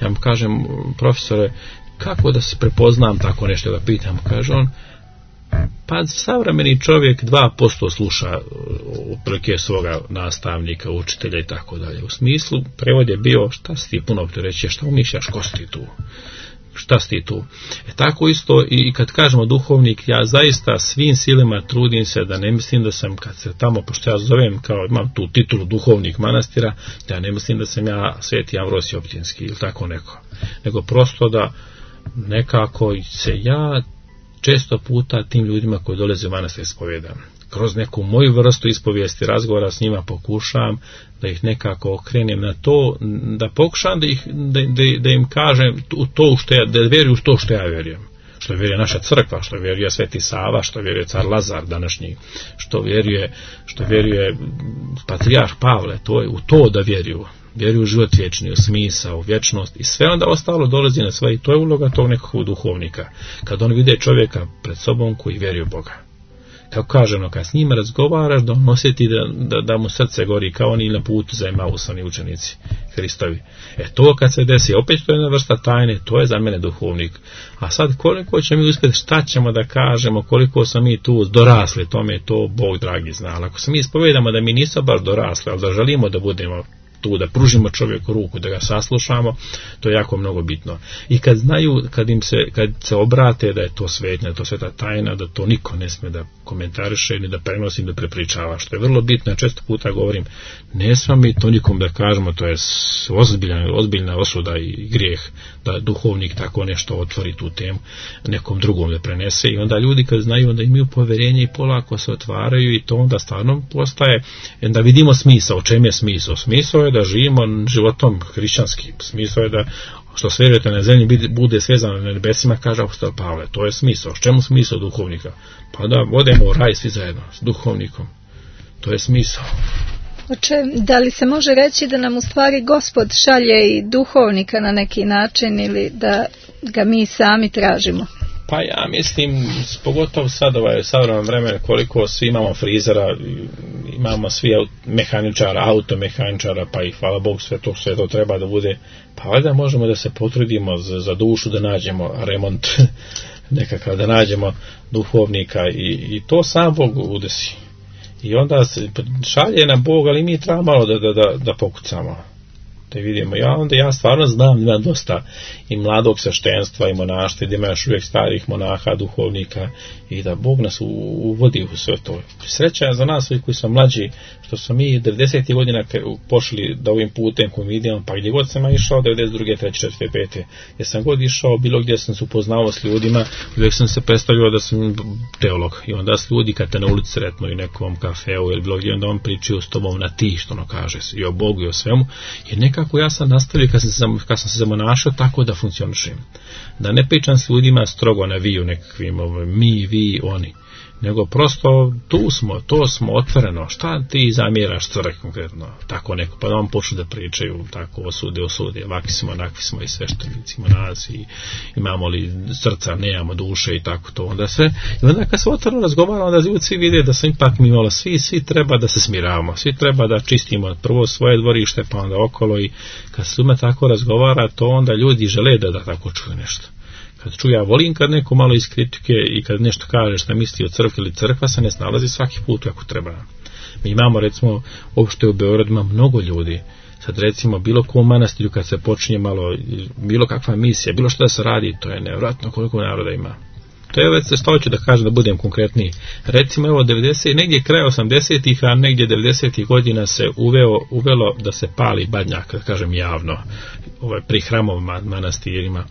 Ja vam kažem, profesore, kako da se prepoznam tako nešto, da pitam, kaže on, pa savremeni čovjek 2% sluša otprilike svoga nastavnika, učitelja i tako dalje. U smislu, prevod je bio, šta si ti puno opterećuje, šta umišljaš, ko si ti tu? Šta si ti tu? Tako isto i kad kažemo duhovnik, ja zaista svim silima trudim se da ne mislim da sam, kad se tamo, pošto ja zovem, kao imam tu titulu duhovnik manastira, da ja ne mislim da sam ja Sveti Amvrosij Optinski ili tako neko. Nego prosto da nekako se ja često puta tim ljudima koji dolaze u manastir ispovijedam. Kroz neku moju vrstu ispovijesti, razgovora s njima pokušam da ih nekako okrenem na to, da pokušam da im kažem to što da vjeruju to što ja vjerujem. Što vjeruje naša crkva, što vjeruje Sveti Sava, što vjeruje car Lazar današnji, što vjeruje patrijarh Pavle, to je u to da vjeruju. Vjeruju u život vječni, u smisao, u vječnost i sve onda ostalo dolazi na sve i to je uloga tog nekog duhovnika. Kad on vide čovjeka pred sobom koji vjeruje u Boga. Kako kažemo, kad s njima razgovaraš, da on osjeti da mu srce gori kao oni na putu za Emausani učenici Hristovi. To kad se desi, opet to je jedna vrsta tajne, to je za mene duhovnik. A sad koliko će mi uspjeti, šta ćemo da kažemo, koliko smo mi tu dorasli tome, to Bog dragi zna. Ali ako se mi ispovedamo da mi nismo baš dorasli, ali da želimo da budemo tu, da pružimo čovjeku ruku, da ga saslušamo, to je jako mnogo bitno. I kad znaju, kad se obrate da je to svetnja, da je to sveta tajna, da to niko ne smije da komentariše, ni da prenosi, da prepričava, što je vrlo bitno. Često puta govorim, ne smije mi to nikom da kažemo, to je ozbiljna osuda i grijeh da duhovnik tako nešto otvori tu temu, nekom drugom da prenese i onda ljudi kad znaju, onda imaju povjerenje i polako se otvaraju i to onda stvarno postaje, da vidimo smisao, o čem je smisao. Smisao je da živimo životom hrišćanskim, smisao je da što sve vjerujete na zemlji bude svezano na nebesima, kaže apostol Pavle, to je smisao. Čemu smisao duhovnika? Pa da odemo u raj svi zajedno s duhovnikom, to je smisao. Da li se može reći da nam u stvari Gospod šalje i duhovnika na neki način ili da ga mi sami tražimo? Pa ja mislim, pogotovo sad savremeno vremena, koliko svi imamo frizera, imamo svi mehaničara, automehaničara, pa i hvala Bogu sve to treba da bude, pa valjda možemo da se potrudimo za dušu da nađemo remont nekakav, da nađemo duhovnika i to sam Bog udesi. I onda se šalje na Bog, ali mi treba malo da pokucamo. da vidimo. Ja stvarno znam da ima dosta i mladog sveštenstva i monaštva, da ima još uvijek starih monaha, duhovnika i da Bog nas uvodi u sve to. Sreća je za nas koji smo mlađi, što smo mi 90. godina pošli da ovim putem koji vidimo, pa gdje god sam išao, 92. 3. 4. 5. Jer sam god išao, bilo gdje sam se upoznao s ljudima, uvijek sam se predstavljao da sam teolog. I onda s ljudi kad te na ulici sretno i nekom kafeu ili bilo gdje, onda on pričaju s tobom na ti, što ono kaže, i o Bogu i o svemu. Jer nekako ja sam nastavio kad sam se zamonašao tako da funkcionišem. Da ne pričam s ljudima strogo na vi u nekakvim mi, vi, oni. Nego prosto to smo otvoreno. Šta ti zamjeraš crkvi konkretno? Tako neko, pa da vam počnu da pričaju tako osude, ovakvi smo, onakvi smo i sveštenici, monasi, imamo li srca, nemamo duše i tako to. Onda kad se otvoreno razgovara, onda ljudi svi vide da sam ipak mi malo, svi treba da se smiravamo, svi treba da čistimo prvo svoje dvorište, pa onda okolo, i kad se ljudima tako razgovara, to onda ljudi žele da tako čuju nešto. Kad čuju, ja volim kad neko malo iz kritike i kad nešto kaže šta misli o crkvi ili crkva se ne snalazi svaki put kako treba. Mi imamo, recimo, uopšte u Beogradu ima mnogo ljudi. Sad recimo bilo ko u manastiru kad se počinje malo, bilo kakva misija, bilo što da se radi, to je nevjerojatno koliko naroda ima. To je već što ću da kažem, da budem konkretniji. Recimo evo 90, negdje kraj 80-ih, a negdje 90-ih godina se uvelo da se pali badnjak, da kažem javno, pri hramovima, manastirima.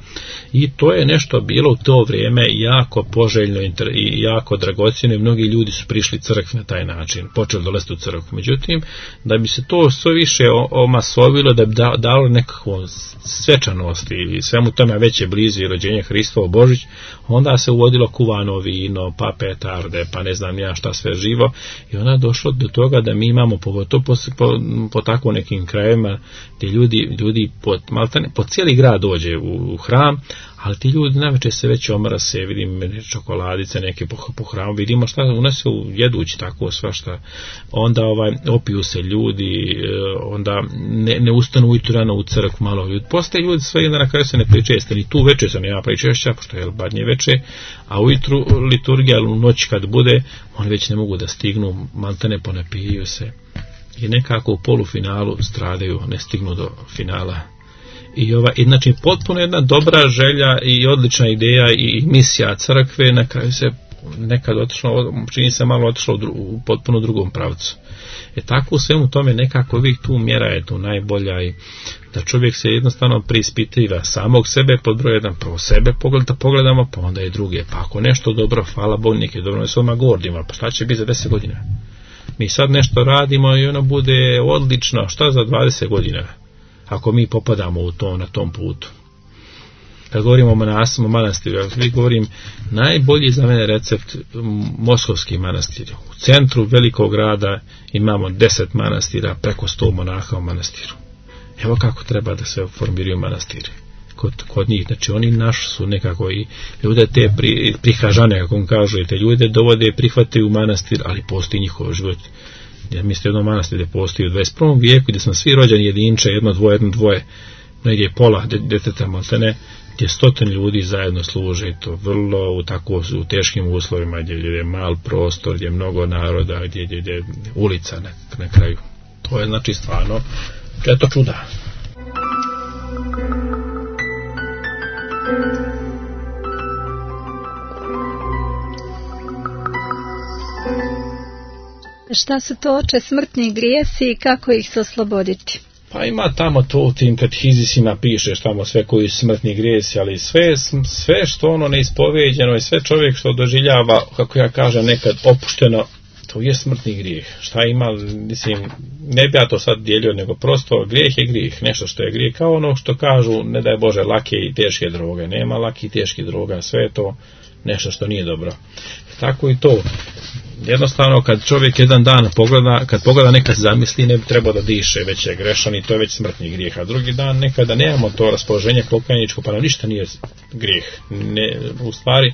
I to je nešto bilo u to vrijeme jako poželjno i jako dragocjeno i mnogi ljudi su prišli crkvi na taj način, počeli dolaziti u crkvu. Međutim, da bi se to sve više omasovilo, da bi dalo nekakvu svečanost i svemu tome veće blizu i rođenje Hristovo Božić, onda se uvodilo kuvano vino, pa petarde, pa ne znam ja šta sve živo, i onda je došlo do toga da mi imamo, pogotovo po tako nekim krajevima, gdje ljudi po cijeli grad dođe u hram, ali ti ljudi navečer se već omrase, vidim čokoladice neke po hramu, vidimo šta unesu jedući tako svašta, onda opiju se ljudi, onda ne ustanu ujutru rano u crkvu, malo ljudi, postaje ljudi sve jedna na kraju se ne pričeste, ni tu večer se nema pričešća, pošto je badnje večer, a ujutru liturgija, u noć kad bude, oni već ne mogu da stignu, maltene ponapijaju se i nekako u polufinalu stradaju, ne stignu do finala. I znači potpuno jedna dobra želja i odlična ideja i misija crkve, na kraju se nekad otišlo, čini se malo otišlo u potpuno drugom pravcu. Tako u svemu tome nekako uvijek tu mjera je tu najbolja, i da čovjek se jednostavno preispitiva samog sebe, pod broj jedan, prvo sebe pogledamo, pa onda i druge, pa ako nešto dobro, hvala Bogu, neki dobro ne svojima gordima, pa šta će biti za 10 godina? Mi sad nešto radimo i ono bude odlično, šta za 20 godina? Ako mi popadamo na tom putu. Kad govorimo o monasima, manastiru, ja govorim, najbolji za mene recept moskovski manastir. U centru velikog grada imamo 10 manastira, preko 100 monaha u manastiru. Evo kako treba da se formiraju manastiri. Kod njih, znači oni naši su nekako i ljude te prihažane, kako on kažu, te ljude dovode, prihvataju u manastir, ali postoji njihov život. Ja mislim jedno manastir gdje postoji u 21. vijeku, gdje smo svi rođeni jedinče, jedno dvoje, negdje pola djeteta maltene, gdje 100 ljudi zajedno služe, to vrlo u teškim uslovima, gdje je mal prostor, gdje je mnogo naroda, gdje je ulica na kraju. To je znači stvarno, je to čuda. Šta su to, oče, smrtni grijesi i kako ih se osloboditi? Pa ima tamo to u tim katehizisima pišeš tamo sve koji su smrtni grijesi, ali sve što ono neispoveđeno i sve čovjek što doživljava, kako ja kažem, nekad opušteno, to je smrtni grijeh. Šta ima, mislim, ne bi ja to sad dijelio, nego prosto grijeh je grijeh, nešto što je grijeh, kao ono što kažu, ne daj Bože, lake i teške droge, nema laki i teški droga, sve je to nešto što nije dobro. Tako i to. Jednostavno kad čovjek jedan dan pogleda nekad zamisli, ne bi trebao da diše, već je grešan i to je već smrtni grijeh, a drugi dan nekada nemamo to raspoloženje pokajničko, pa nam ništa nije grijeh. U stvari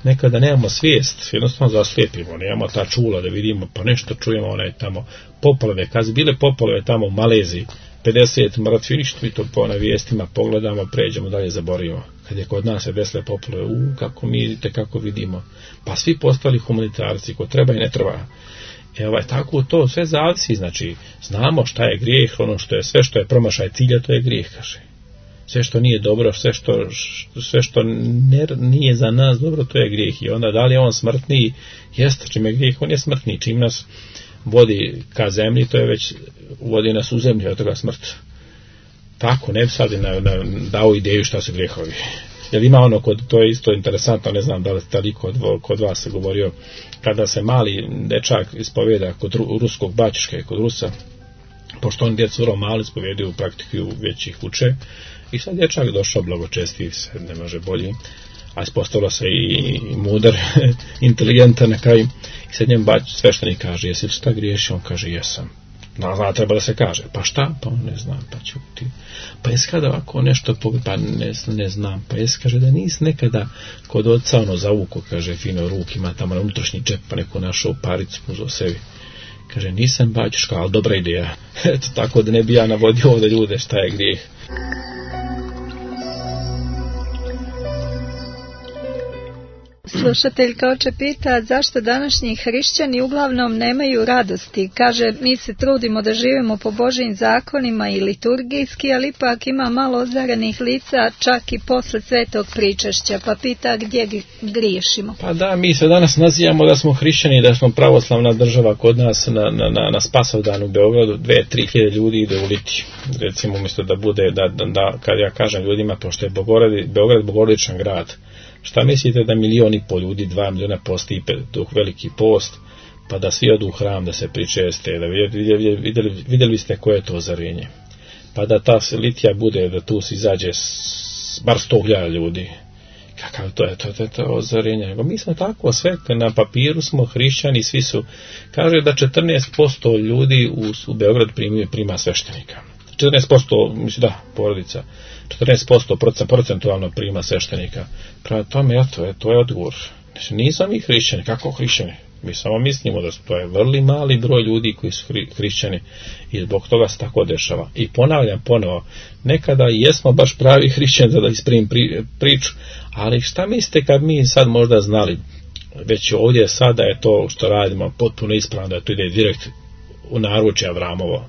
nekada nemamo svijest, jednostavno zaslijepimo, nemamo ta čula da vidimo, pa nešto čujemo, onaj tamo poplave, kad bile poplave tamo u Maleziji, 50 mrtvi, ništa mi to po na vijestima pogledamo, pređemo dalje, zaboravimo. Kad je kod nas se desile poplave, kako mi vidite, kako vidimo, pa svi postali humanitarci, ko treba i ne treba. Tako to sve zavisi, znači znamo šta je grijeh, ono što je sve što je promašaj cilja, to je grijeh, kaže. Sve što nije dobro, sve što nije za nas dobro, to je grijeh. I onda da li je on smrtniji? Jeste, čim je grijeh, on je smrtniji. Čim nas vodi ka zemlji, to je već vodi nas u zemlju, od toga smrt. Tako, ne bi sad dao ideju šta su grijehovi. Jer ima ono, to je isto interesantno, ne znam da li kod vas se govorio, kada se mali dečak ispovjeda kod ruskog baćuške, kod Rusa, pošto on djecu vrlo mali ispovjedaju, praktikuju, već ih uče, i sad dječak došao blagočestiv, se ne može bolji, a ispostavilo se i mudar, inteligentan na kraju, i sad njem sveštenik kaže, jesi li šta griješio? On kaže, jesam. Treba da se kaže, pa šta? Pa on ne znam, pa ću ti. Pa jes kada ovako nešto, pa ne znam, pa jes kaže da nis nekada kod oca ono zavuko, kaže, fino ruk ima tamo na unutrašnji džep, pa neku našao paricu uzeo sebi. Kaže, nisam baćuška, ali dobra ideja. Eto, tako da ne bi ja navodio ovdje ljude šta je grijeh. Slušateljka oče pita zašto današnji hrišćani uglavnom nemaju radosti. Kaže, mi se trudimo da živimo po Božjim zakonima i liturgijski, ali ipak ima malo ozarenih lica čak i posle svetog pričašća, pa pita gdje griješimo. Pa da, mi se danas nazivamo da smo hrišćani, da smo pravoslavna država. Kod nas na Spasovdan u Beogradu 2-3 hiljade ljudi ide u litiju. Recimo, umjesto da bude, da kad ja kažem ljudima, pošto je Beograd bogorodičan grad, šta mislite da 1,5 miliona ljudi, 2 miliona posti dok veliki post, pa da svi odu u hram da se pričeste, da vidjeli ste koje je to ozarenje. Pa da ta litija bude, da tu se izađe bar 100.000 ljudi. Kakav to je to ozarenje? Mi smo tako, sve na papiru smo hrišćani, svi su, kaže da 14% ljudi u Beogradu prima sveštenika. 14%, mislim da, porodica. 14% procentualno prima sveštenika. Prema tome, to je odgovor. Nismo mi hrišćani, kako hrišćani? Mi samo mislimo da to je vrlo mali broj ljudi koji su hrišćani i zbog toga se tako dešava. I ponavljam ponovo, nekada jesmo baš pravi hrišćani, da isprimim priču, ali šta mislite kad mi sad možda znali, već ovdje sada je to što radimo potpuno ispravno, da to ide direkt u naručje Avramovo.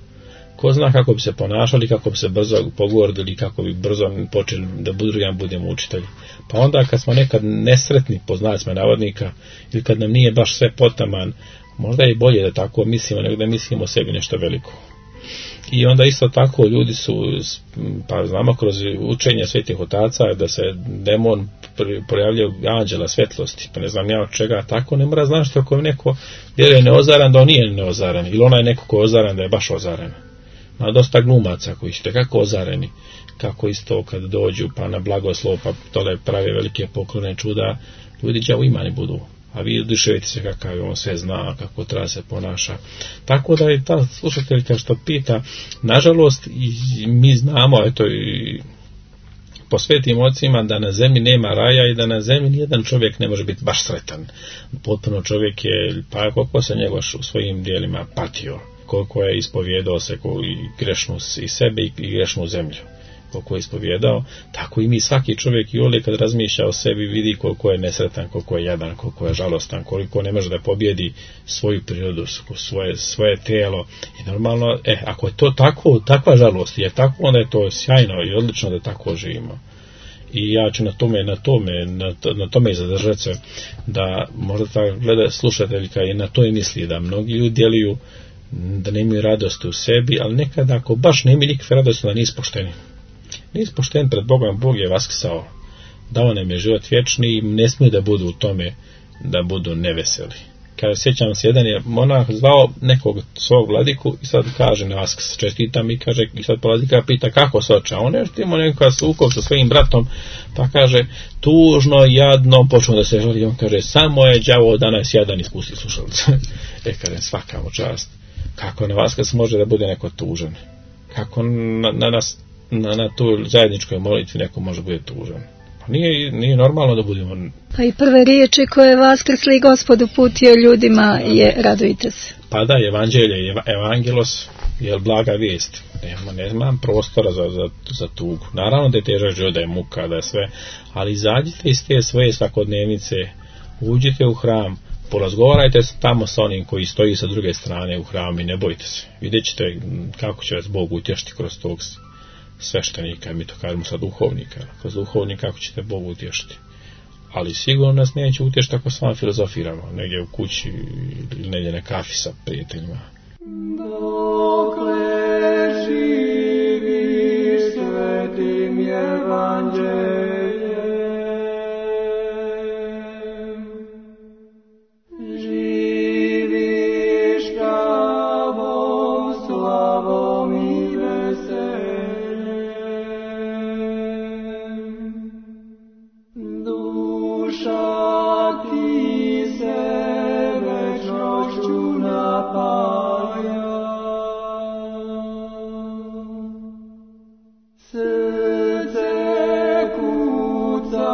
Ko zna kako bi se ponašali, kako bi se brzo pogordili, kako bi brzo počeli da budemo učitelji. Pa onda kad smo nekad nesretni, po znacima navodnika, ili kad nam nije baš sve potaman, možda je bolje da tako mislimo, nego da mislimo o sebi nešto veliko. I onda isto tako ljudi su, pa znamo kroz učenje svetih otaca, da se demon projavljaju anđela svetlosti, pa ne znam ja od čega, tako ne mora znaći ako je neko vjeruje neozaran, da on nije neozaran, ili ona je neko ko je ozaran, da je baš ozaran. Ima dosta glumaca koji su kako ozareni, kako isto kad dođu pa na blagoslov, pa tole prave velike poklone čuda, ljudi đavo imani budu, a vi oduševite se kakav on sve zna, kako treba se ponaša. Tako da je ta slušateljka što pita, nažalost mi znamo, eto i po svetim ocima, da na zemlji nema raja i da na zemlji nijedan čovjek ne može biti baš sretan. Potpuno čovjek je, pa koliko se njegov u svojim dijelima patio, koliko je ispovjedao se i grešnu i sebe i grešnu zemlju, koliko je ispovjedao, tako i mi, svaki čovjek i ovdje kad razmišlja o sebi vidi koliko je nesretan, koliko je jadan, koliko je žalostan, koliko ne može da pobjedi svoju prirodu, svoje tijelo. I normalno, ako je to tako, takva žalost je tako, onda je to sjajno i odlično da tako živimo. I ja ću na tome i zadržati se, da možda ta slušateljka i na to i misli, da mnogi ljudi djeluju da ne imaju radosti u sebi, ali nekada ako baš ne imaju nikakve radosti, da nisu pošteni. Nisu pošteni pred Bogom, Bog je vaskrsao, dao nam je život vječni i ne smiju da budu u tome, da budu neveseli. Kada sjećam se, jedan je monah zvao nekog svog vladiku i sad kaže na Vaskrs, čestitam i kaže, i sad vladika pita kako se oča, on je štimo nekakav sukob sa svojim bratom, pa kaže, tužno, jadno, počnu da se žali, on kaže, samo je đavo danas jadan, ispusti slušalice. Kaže, svaka mu čast. Kako na Vaskrs može da bude neko tužan? Kako na tu zajedničkoj molitvi neko može bude tužan? Pa nije normalno da budemo. Pa i prve riječi koje je Vaskrsli Gospod uputio ljudima je radujte se. Pa da, evanđelje, evangelos je blaga vijest. Nema prostora za tugu. Naravno da je težak život, da je muka, da je sve, ali izađite iz te svoje svakodnevnice, uđite u hram, Porazgovarajte tamo sa onim koji stoji sa druge strane u hramu i ne bojte se. Vidjet ćete kako će vas Bog utješiti kroz tog sveštenika, mi to kažemo sa duhovnika. Kroz duhovnika kako ćete Bog utješiti. Ali sigurno nas neće utješiti ako s vama filozofiramo, negdje u kući ili negdje na kafi sa prijateljima. Dokle živiš svetim evanđeljem, živiš pravom slavom i veseljem, duša ti se večnošću napaja. Srce kuca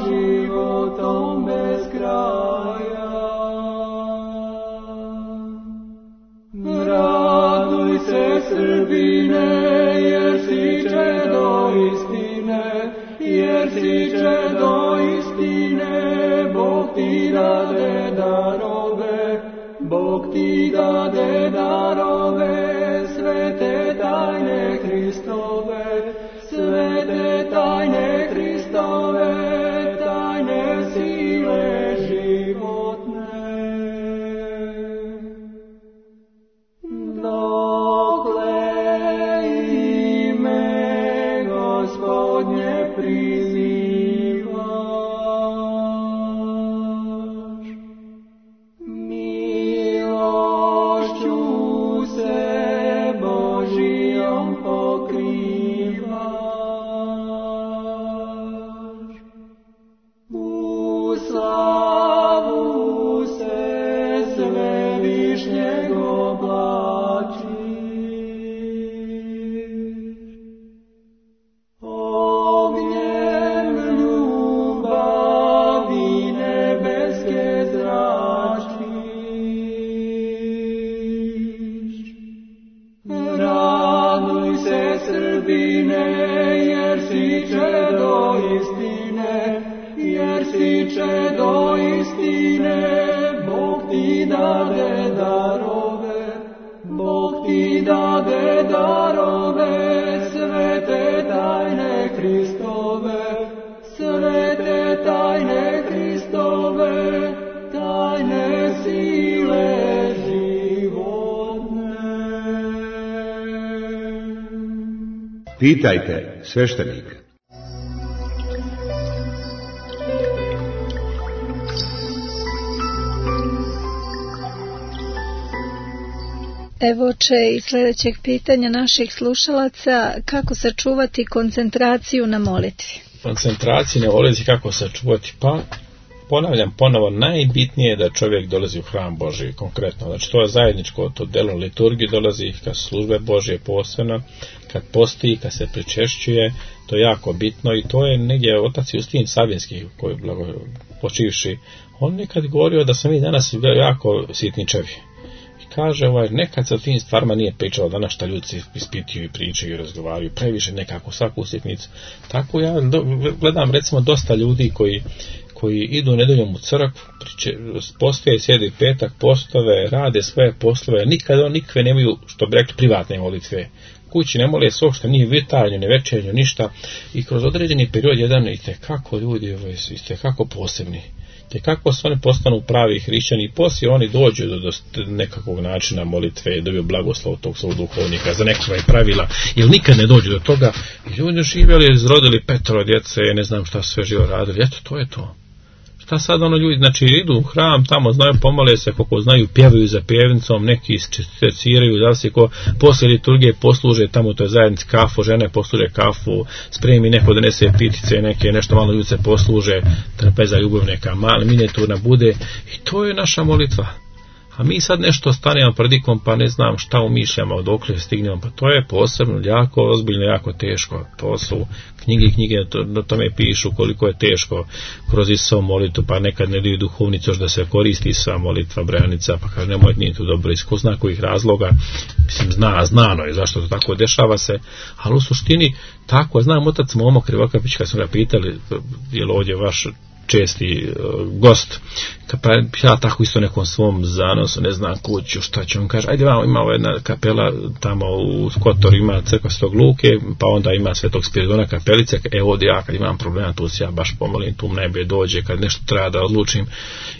životom bez kraja. Raduj se, Srbine, jer si čedo istine, jer si čedo istine. Bog ti dade darove, Bog ti dade darove, svete tajne Hristove, svete tajne Hristove, tajne sile životne. Dokle ime Gospodnje prizivaš, milošću se Božijom pokrivaš, u slavu se Svevišnjeg oblačiš, ognjem ljubavi nebeske zračiš. Raduj se, Srbine, jer si čedo istine, jer si čedo istine. Bog ti dade darove, Bog ti dade darove, svete tajne Hristove, svete tajne Hristove, tajne sile životne. Pitajte sveštenika. Evo oče i sljedećeg pitanja naših slušalaca, kako sačuvati koncentraciju na molitvi? Koncentraciju na molitvi kako sačuvati, pa ponavljam ponovo, najbitnije je da čovjek dolazi u hram Božji konkretno, znači to je zajedničko, to delo liturgije dolazi, kad službe Božje posebno, kad posti, kad se pričešćuje, to je jako bitno i to je negdje otac Justin Sabinski, koji je počivši, on nekad govorio da smo mi danas jako sitničevi. Kaže, nekad se o tim stvarima nije pričalo, danas šta ljudi se ispituju i pričaju i razgovaraju, previše nekako svaku sitnicu. Tako ja gledam recimo dosta ljudi koji idu nedeljom u crkvu, postoje, sjedi petak, postove, rade svoje poslove, nikakve nemaju, što bi rekli, privatne molitve. Kući ne mole se uopšte, ni vitarnju, ni večernju, ništa. I kroz određeni period jedan itekako ljudi, itekako posebni. Te kako se oni postanu pravi hrišćani i poslije oni dođu do nekakvog načina molitve, dobiju blagoslov tog svog duhovnika za nekakva pravila, jer nikad ne dođu do toga. I ljudi živjeli, izrodili 5 djece, ne znam šta sve živo radili, eto to je to. Šta sad ljudi, znači idu u hram, tamo znaju, pomole se, koliko znaju, pjevaju za pjevnicom, neki seciraju, da li se ko poslije liturgije posluže, tamo to je zajednici kafu, žene posluže kafu, spremi neko donese pitice, nešto malo ljudi se posluže, trpeza ljubav neka mala, minijaturna bude i to je naša molitva. A mi sad nešto stanemo predikom, pa ne znam šta umišljamo, dokle stignemo, pa to je posebno, jako ozbiljno, jako teško. To su knjige na tome pišu koliko je teško kroz Isusovu molitvu, pa nekad ne daju duhovnicu još da se koristi Isusova molitva, branica, pa kaže nemoj, nije to dobro, iz ko zna kojih razloga, mislim znano je zašto to tako dešava se, ali u suštini tako, znam otac Momo Krivokapić, kad smo ga pitali, je li ovdje vaš česti gost. Pa ja tako isto nekom svom zanosu, ne znam kuću, šta ću, on kaže, ajde vamo, ima jedna kapela tamo u Kotoru, ima crkva Svetog Luke, pa onda ima Svetog Spiridona kapelice, ovdje ja kad imam problema, tu se ja baš pomolim, tu najbolje dođe, kad nešto treba da odlučim,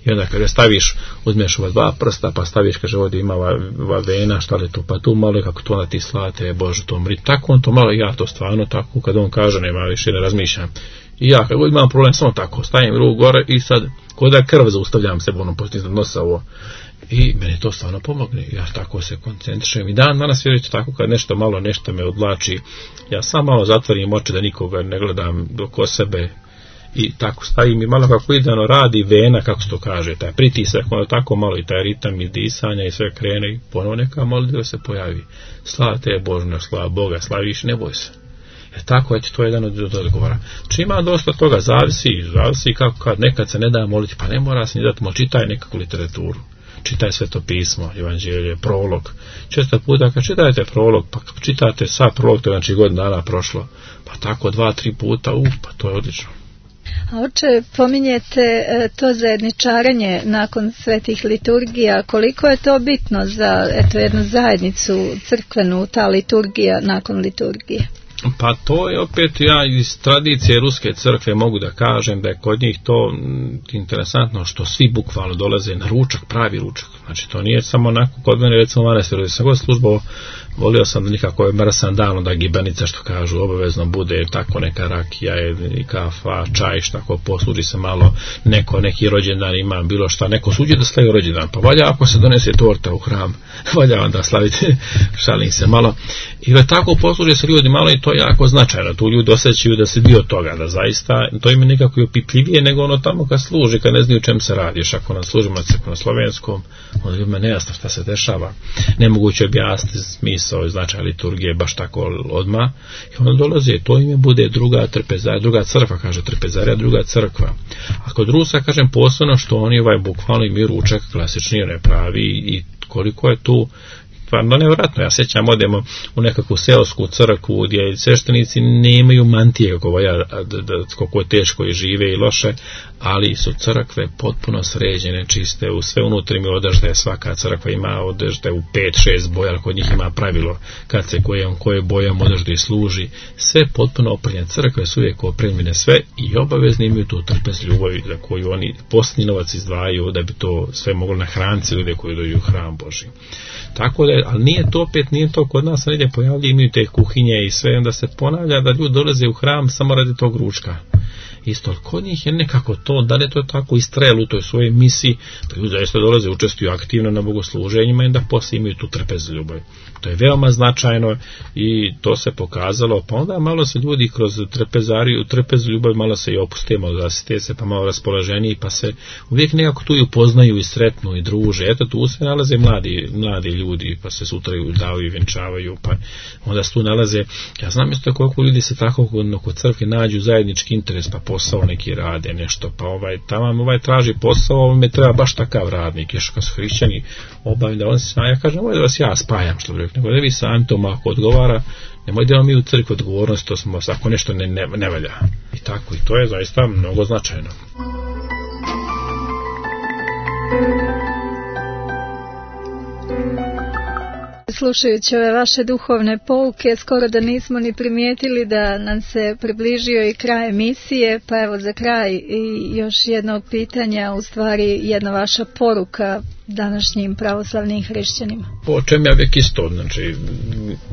i onda kada staviš, uzmeš ova dva prsta, pa staviš, kaže, ovdje ima ova vena, šta li tu, pa tu malo, kako to onda ti slate, Bože, to mri, tako on to malo, ja to stvarno tako, kad on kaže, nema više da razmišljam. I ja kad imam problem, samo tako, stavim ruku gore i sad, kod da krv zaustavljam se, ono postizno nosa ovo. I meni to stvarno pomogne, ja tako se koncentrišem. I danas vjerujte tako, kad nešto malo, nešto me odlači, ja sam malo zatvorim oči da nikoga ne gledam oko sebe. I tako stavim i malo kako idealno radi vena, kako se to kaže, taj pritisak, ono tako malo i taj ritam i disanja i sve krene i ponovo neka molitva se pojavi. Slava te Božno, slava Boga, slaviš, ne boj se. Tako je, to je jedan od odgovora. Či ima dosta toga, zavisi kako kad nekad se ne da moliti, pa ne mora se ni dati, čitaj nekakvu literaturu, čitaj Sveto pismo, Evanđelje, prolog. Često puta kad čitajte prolog, pa čitate sad prolog, to je znači godina dana prošlo, pa tako 2-3 puta, pa to je odlično. A oče, pominjete to zajedničarenje nakon svetih liturgija, koliko je to bitno za jednu zajednicu crkvenu, ta liturgija nakon liturgije? Pa to je opet, ja iz tradicije Ruske crkve mogu da kažem da je kod njih to interesantno što svi bukvalno dolaze na ručak, pravi ručak. Znači to nije samo onako kod mene, recimo manastiru, sam god službao, volio sam da nikako je mrsan dan, onda gibanica što kažu, obavezno bude tako neka rakija i kafa, čaj, što tako posluži se malo, neki rođendan ima bilo šta, neko suđe da slavi rođendan, pa valja ako se donese torta u hram, valja onda slaviti, šalim se malo. I tako posluži se ljudi malo i to je jako značajno, tu ljudi osjećaju da se dio toga, da zaista, to im je nekako i opipljivije nego ono tamo kad služi, kad ne znaju o čem se radi, još ako nam služimo na slovenskom, onda ljudima nejasno šta se dešava, nemoguće objasniti smisao i značaj liturgije baš tako odmah, i onda dolazi, to im je bude druga trpezarija, druga crkva, kaže trpezarija, druga crkva. A kod Rusa, kažem, posebno što oni bukvalno imaju ručak klasični, ne pravi, i koliko je tu stvarno nevjerojatno. Ja sjećam, odemo u nekakvu seosku crkvu gdje sveštenici nemaju mantije koliko je teško i žive i loše, ali su crkve potpuno sređene, čiste, u sve unutra im je odežde, svaka crkva ima odežde u 5-6 boja, ali kod njih ima pravilo kad se koje bojom odežde služi, sve potpuno opremljene, crkve su uvijek opremljene sve i obavezni imaju tu trpezljubav za koju oni posljednji novac izdvajaju da bi to sve moglo nahraniti ljude koji dođu u hram Božji. Tako da, ali nije to kod nas, negdje pojavljaju, imaju te kuhinje i sve, onda se ponavlja da ljudi dolaze u hram samo radi tog ručka. Isto, kod njih je nekako to, da li je to tako istrajalo u toj svojoj misiji, da ljudi zaista dolaze, učestvuju aktivno na bogosluženjima i da poslije imaju tu trpezljubav. To je veoma značajno i to se pokazalo, pa onda malo se ljudi kroz trpezljubav malo se i opuste, malo zasite se, pa malo raspoloženiji, pa se uvijek nekako tu i upoznaju i sretnu i druže. Eto, tu se nalaze mladi ljudi, pa se sutra i udavaju i venčavaju, pa onda se tu nalaze, ja znam isto koliko ljudi se tako kod crkve nađu zajednički interes, pa posao neki rade nešto, pa ovaj traži posao, me treba baš takav radnik, još kad su hrišćani obavim da on se ja kažem, ovo je da vas ja spajam, što bi rekao, nego da vi sami to ako odgovara, nemoj da mi u crkvi odgovornost, to smo, ako nešto ne valja. I tako, i to je zaista mnogo značajno. Slušajući ove vaše duhovne pouke, skoro da nismo ni primijetili da nam se približio i kraj emisije, pa evo za kraj i još jedno pitanja, u stvari jedna vaša poruka današnjim pravoslavnim hrišćanima. Po čem ja uvijek isto, znači,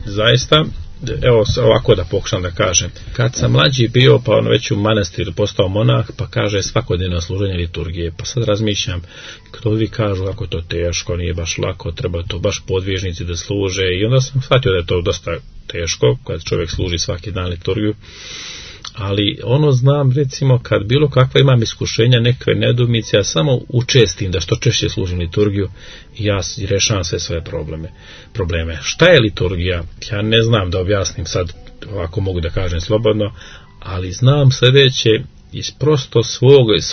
zaista, evo ovako da pokušam da kažem, kad sam mlađi bio, pa već u manastiru postao monah, pa kaže svakodnevno služenje liturgije, pa sad razmišljam, kdo vi kažu kako je to teško, nije baš lako, treba to baš podvižnici da služe, i onda sam shvatio da je to dosta teško kad čovjek služi svaki dan liturgiju, ali znam, recimo, kad bilo kakva imam iskušenja, neke nedoumice, ja samo učestim da što češće služim liturgiju i ja rešavam sve svoje probleme. Šta je liturgija? Ja ne znam da objasnim sad, ovako mogu da kažem slobodno, ali znam sljedeće iz prosto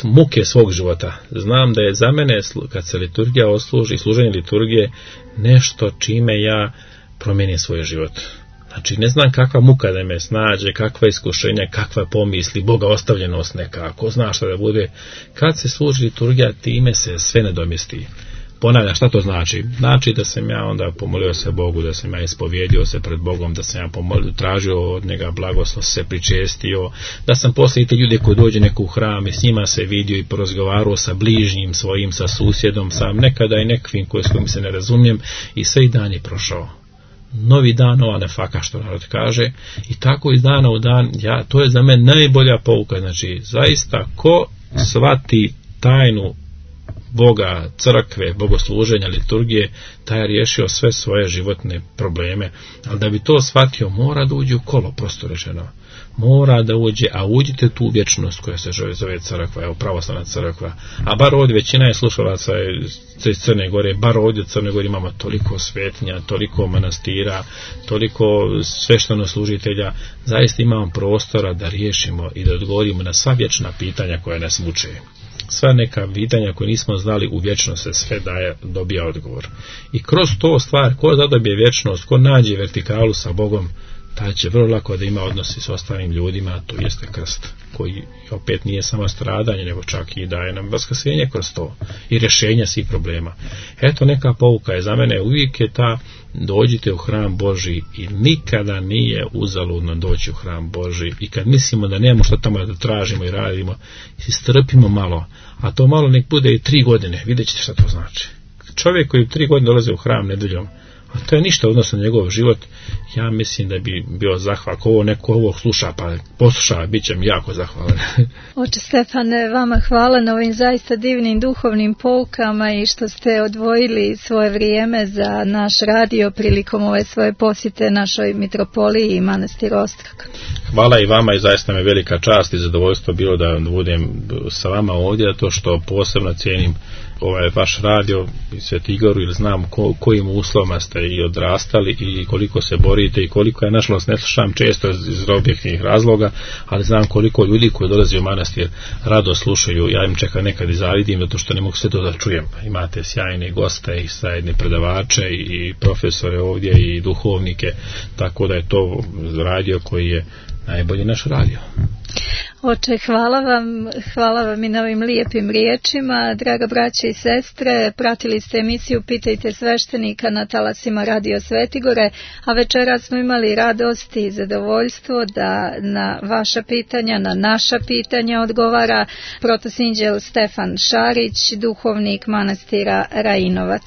muke svog života. Znam da je za mene, kad se liturgija osluži, služenje liturgije, nešto čime ja promijenim svoj život. Znači, ne znam kakva muka da me snađe, kakva iskušenja, kakva pomisli, Boga ostavljenost neka, ko zna šta da bude. Kad se služi liturgija, time se sve nadomjesti. Ponavljam, šta to znači? Znači da sam ja onda pomolio se Bogu, da sam ja ispovjedio se pred Bogom, da sam ja tražio od njega blagoslov, se pričestio, da sam poslije te ljude koji dođe neko u hram i s njima se vidio i porazgovarao sa bližnjim svojim, sa susjedom, sam nekada i nekvim s kojim se ne razumijem, i sve i dan je prošao. Novi dan, nova nefaka, što narod kaže, i tako iz dana u dan, to je za mene najbolja pouka. Znači, zaista, ko shvati tajnu Boga, crkve, bogosluženja, liturgije, taj je riješio sve svoje životne probleme. Ali da bi to shvatio, mora da uđe u kolo, prosto rečeno. Mora da uđe, a uđite tu vječnost koja se zove crkva, evo pravoslavna crkva. A bar ovdje većina je slušalaca iz Crne Gore, bar ovdje u Crne Gore imamo toliko svetinja, toliko manastira, toliko svešteno-služitelja. Zaista imamo prostora da riješimo i da odgovorimo na sva vječna pitanja koja nas muče. Sva neka pitanja koje nismo znali, u vječnost se sve dobija odgovor. I kroz to stvar, ko zadobije vječnost, ko nađe vertikalu sa Bogom, taj će vrlo lako da ima odnosi s ostalim ljudima, to jeste krst, koji opet nije samo stradanje, nego čak i daje nam vaskrsenje kroz to i rješenje svih problema. Eto, neka pouka je za mene, uvijek je ta: dođite u hram Božji, i nikada nije uzaludno doći u hram Božji. I kad mislimo da nemamo što tamo da tražimo i radimo, strpimo malo, a to malo nek bude i 3 godine, vidjet ćete šta to znači. Čovjek koji 3 godine dolazi u hram nedeljom, a to je ništa odnosno na njegov život, ja mislim da bi bio zahval. Ako neko ovo sluša pa posluša, bit će mi jako zahvalan. Oče Stefane, vama hvala na ovim zaista divnim duhovnim poukama i što ste odvojili svoje vrijeme za naš radio prilikom ove svoje posjete našoj mitropoliji i manastiru Ostrog. Hvala i vama, i zaista me velika čast i zadovoljstvo bilo da budem sa vama ovdje, to što posebno cijenim ovaj vaš radio i Svetigoru, ili znam kojim uslovima ste i odrastali i koliko se borite i koliko, ja nažalost ne slušam često iz objektivnih razloga, ali znam koliko ljudi koji dolaze u manastir rado slušaju. Ja im čekam nekad i zavidim, zato što ne mogu sve to da čujem. Imate sjajne goste i sjajne predavače i profesore ovdje i duhovnike, tako da je to radio koji je najbolji naš radio. Oče, hvala vam i na ovim lijepim riječima. Draga braće i sestre, pratili ste emisiju Pitajte sveštenika na talasima Radio Svetigore, a večeras smo imali radost i zadovoljstvo da na vaša pitanja, na naša pitanja odgovara protosinđel Stefan Šarić, duhovnik manastira Rajinovac.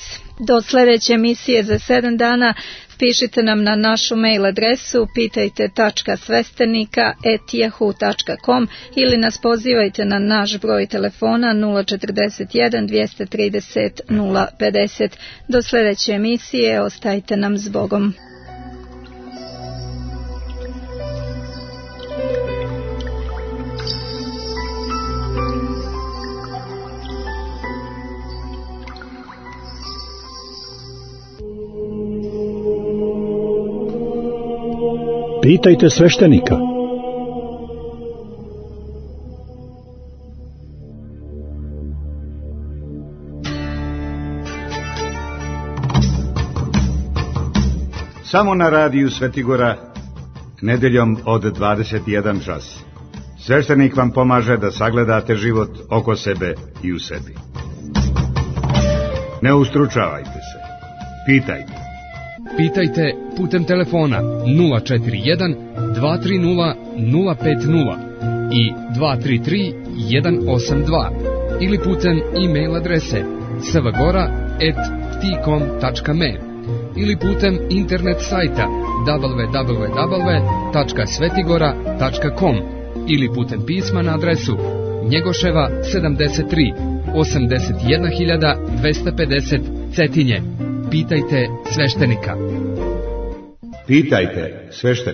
Do sljedeće emisije za 7 dana pišite nam na našu mail adresu pitajte.svestenika@yahoo.com ili nas pozivajte na naš broj telefona 041 230 050. Do sljedeće emisije, ostajte nam s Bogom. Pitajte sveštenika. Samo na radiju Svetigora, nedeljom od 21 čas. Sveštenik vam pomaže da sagledate život oko sebe i u sebi. Ne ustručavajte se. Pitajte. Pitajte putem telefona 041 230 050 i 233 182 ili putem e-mail adrese svgora@tcom.me ili putem internet sajta www.svetigora.com ili putem pisma na adresu Njegoševa 73 81250 Cetinje. Pitajte sveštenika. Pitajte sveštenika.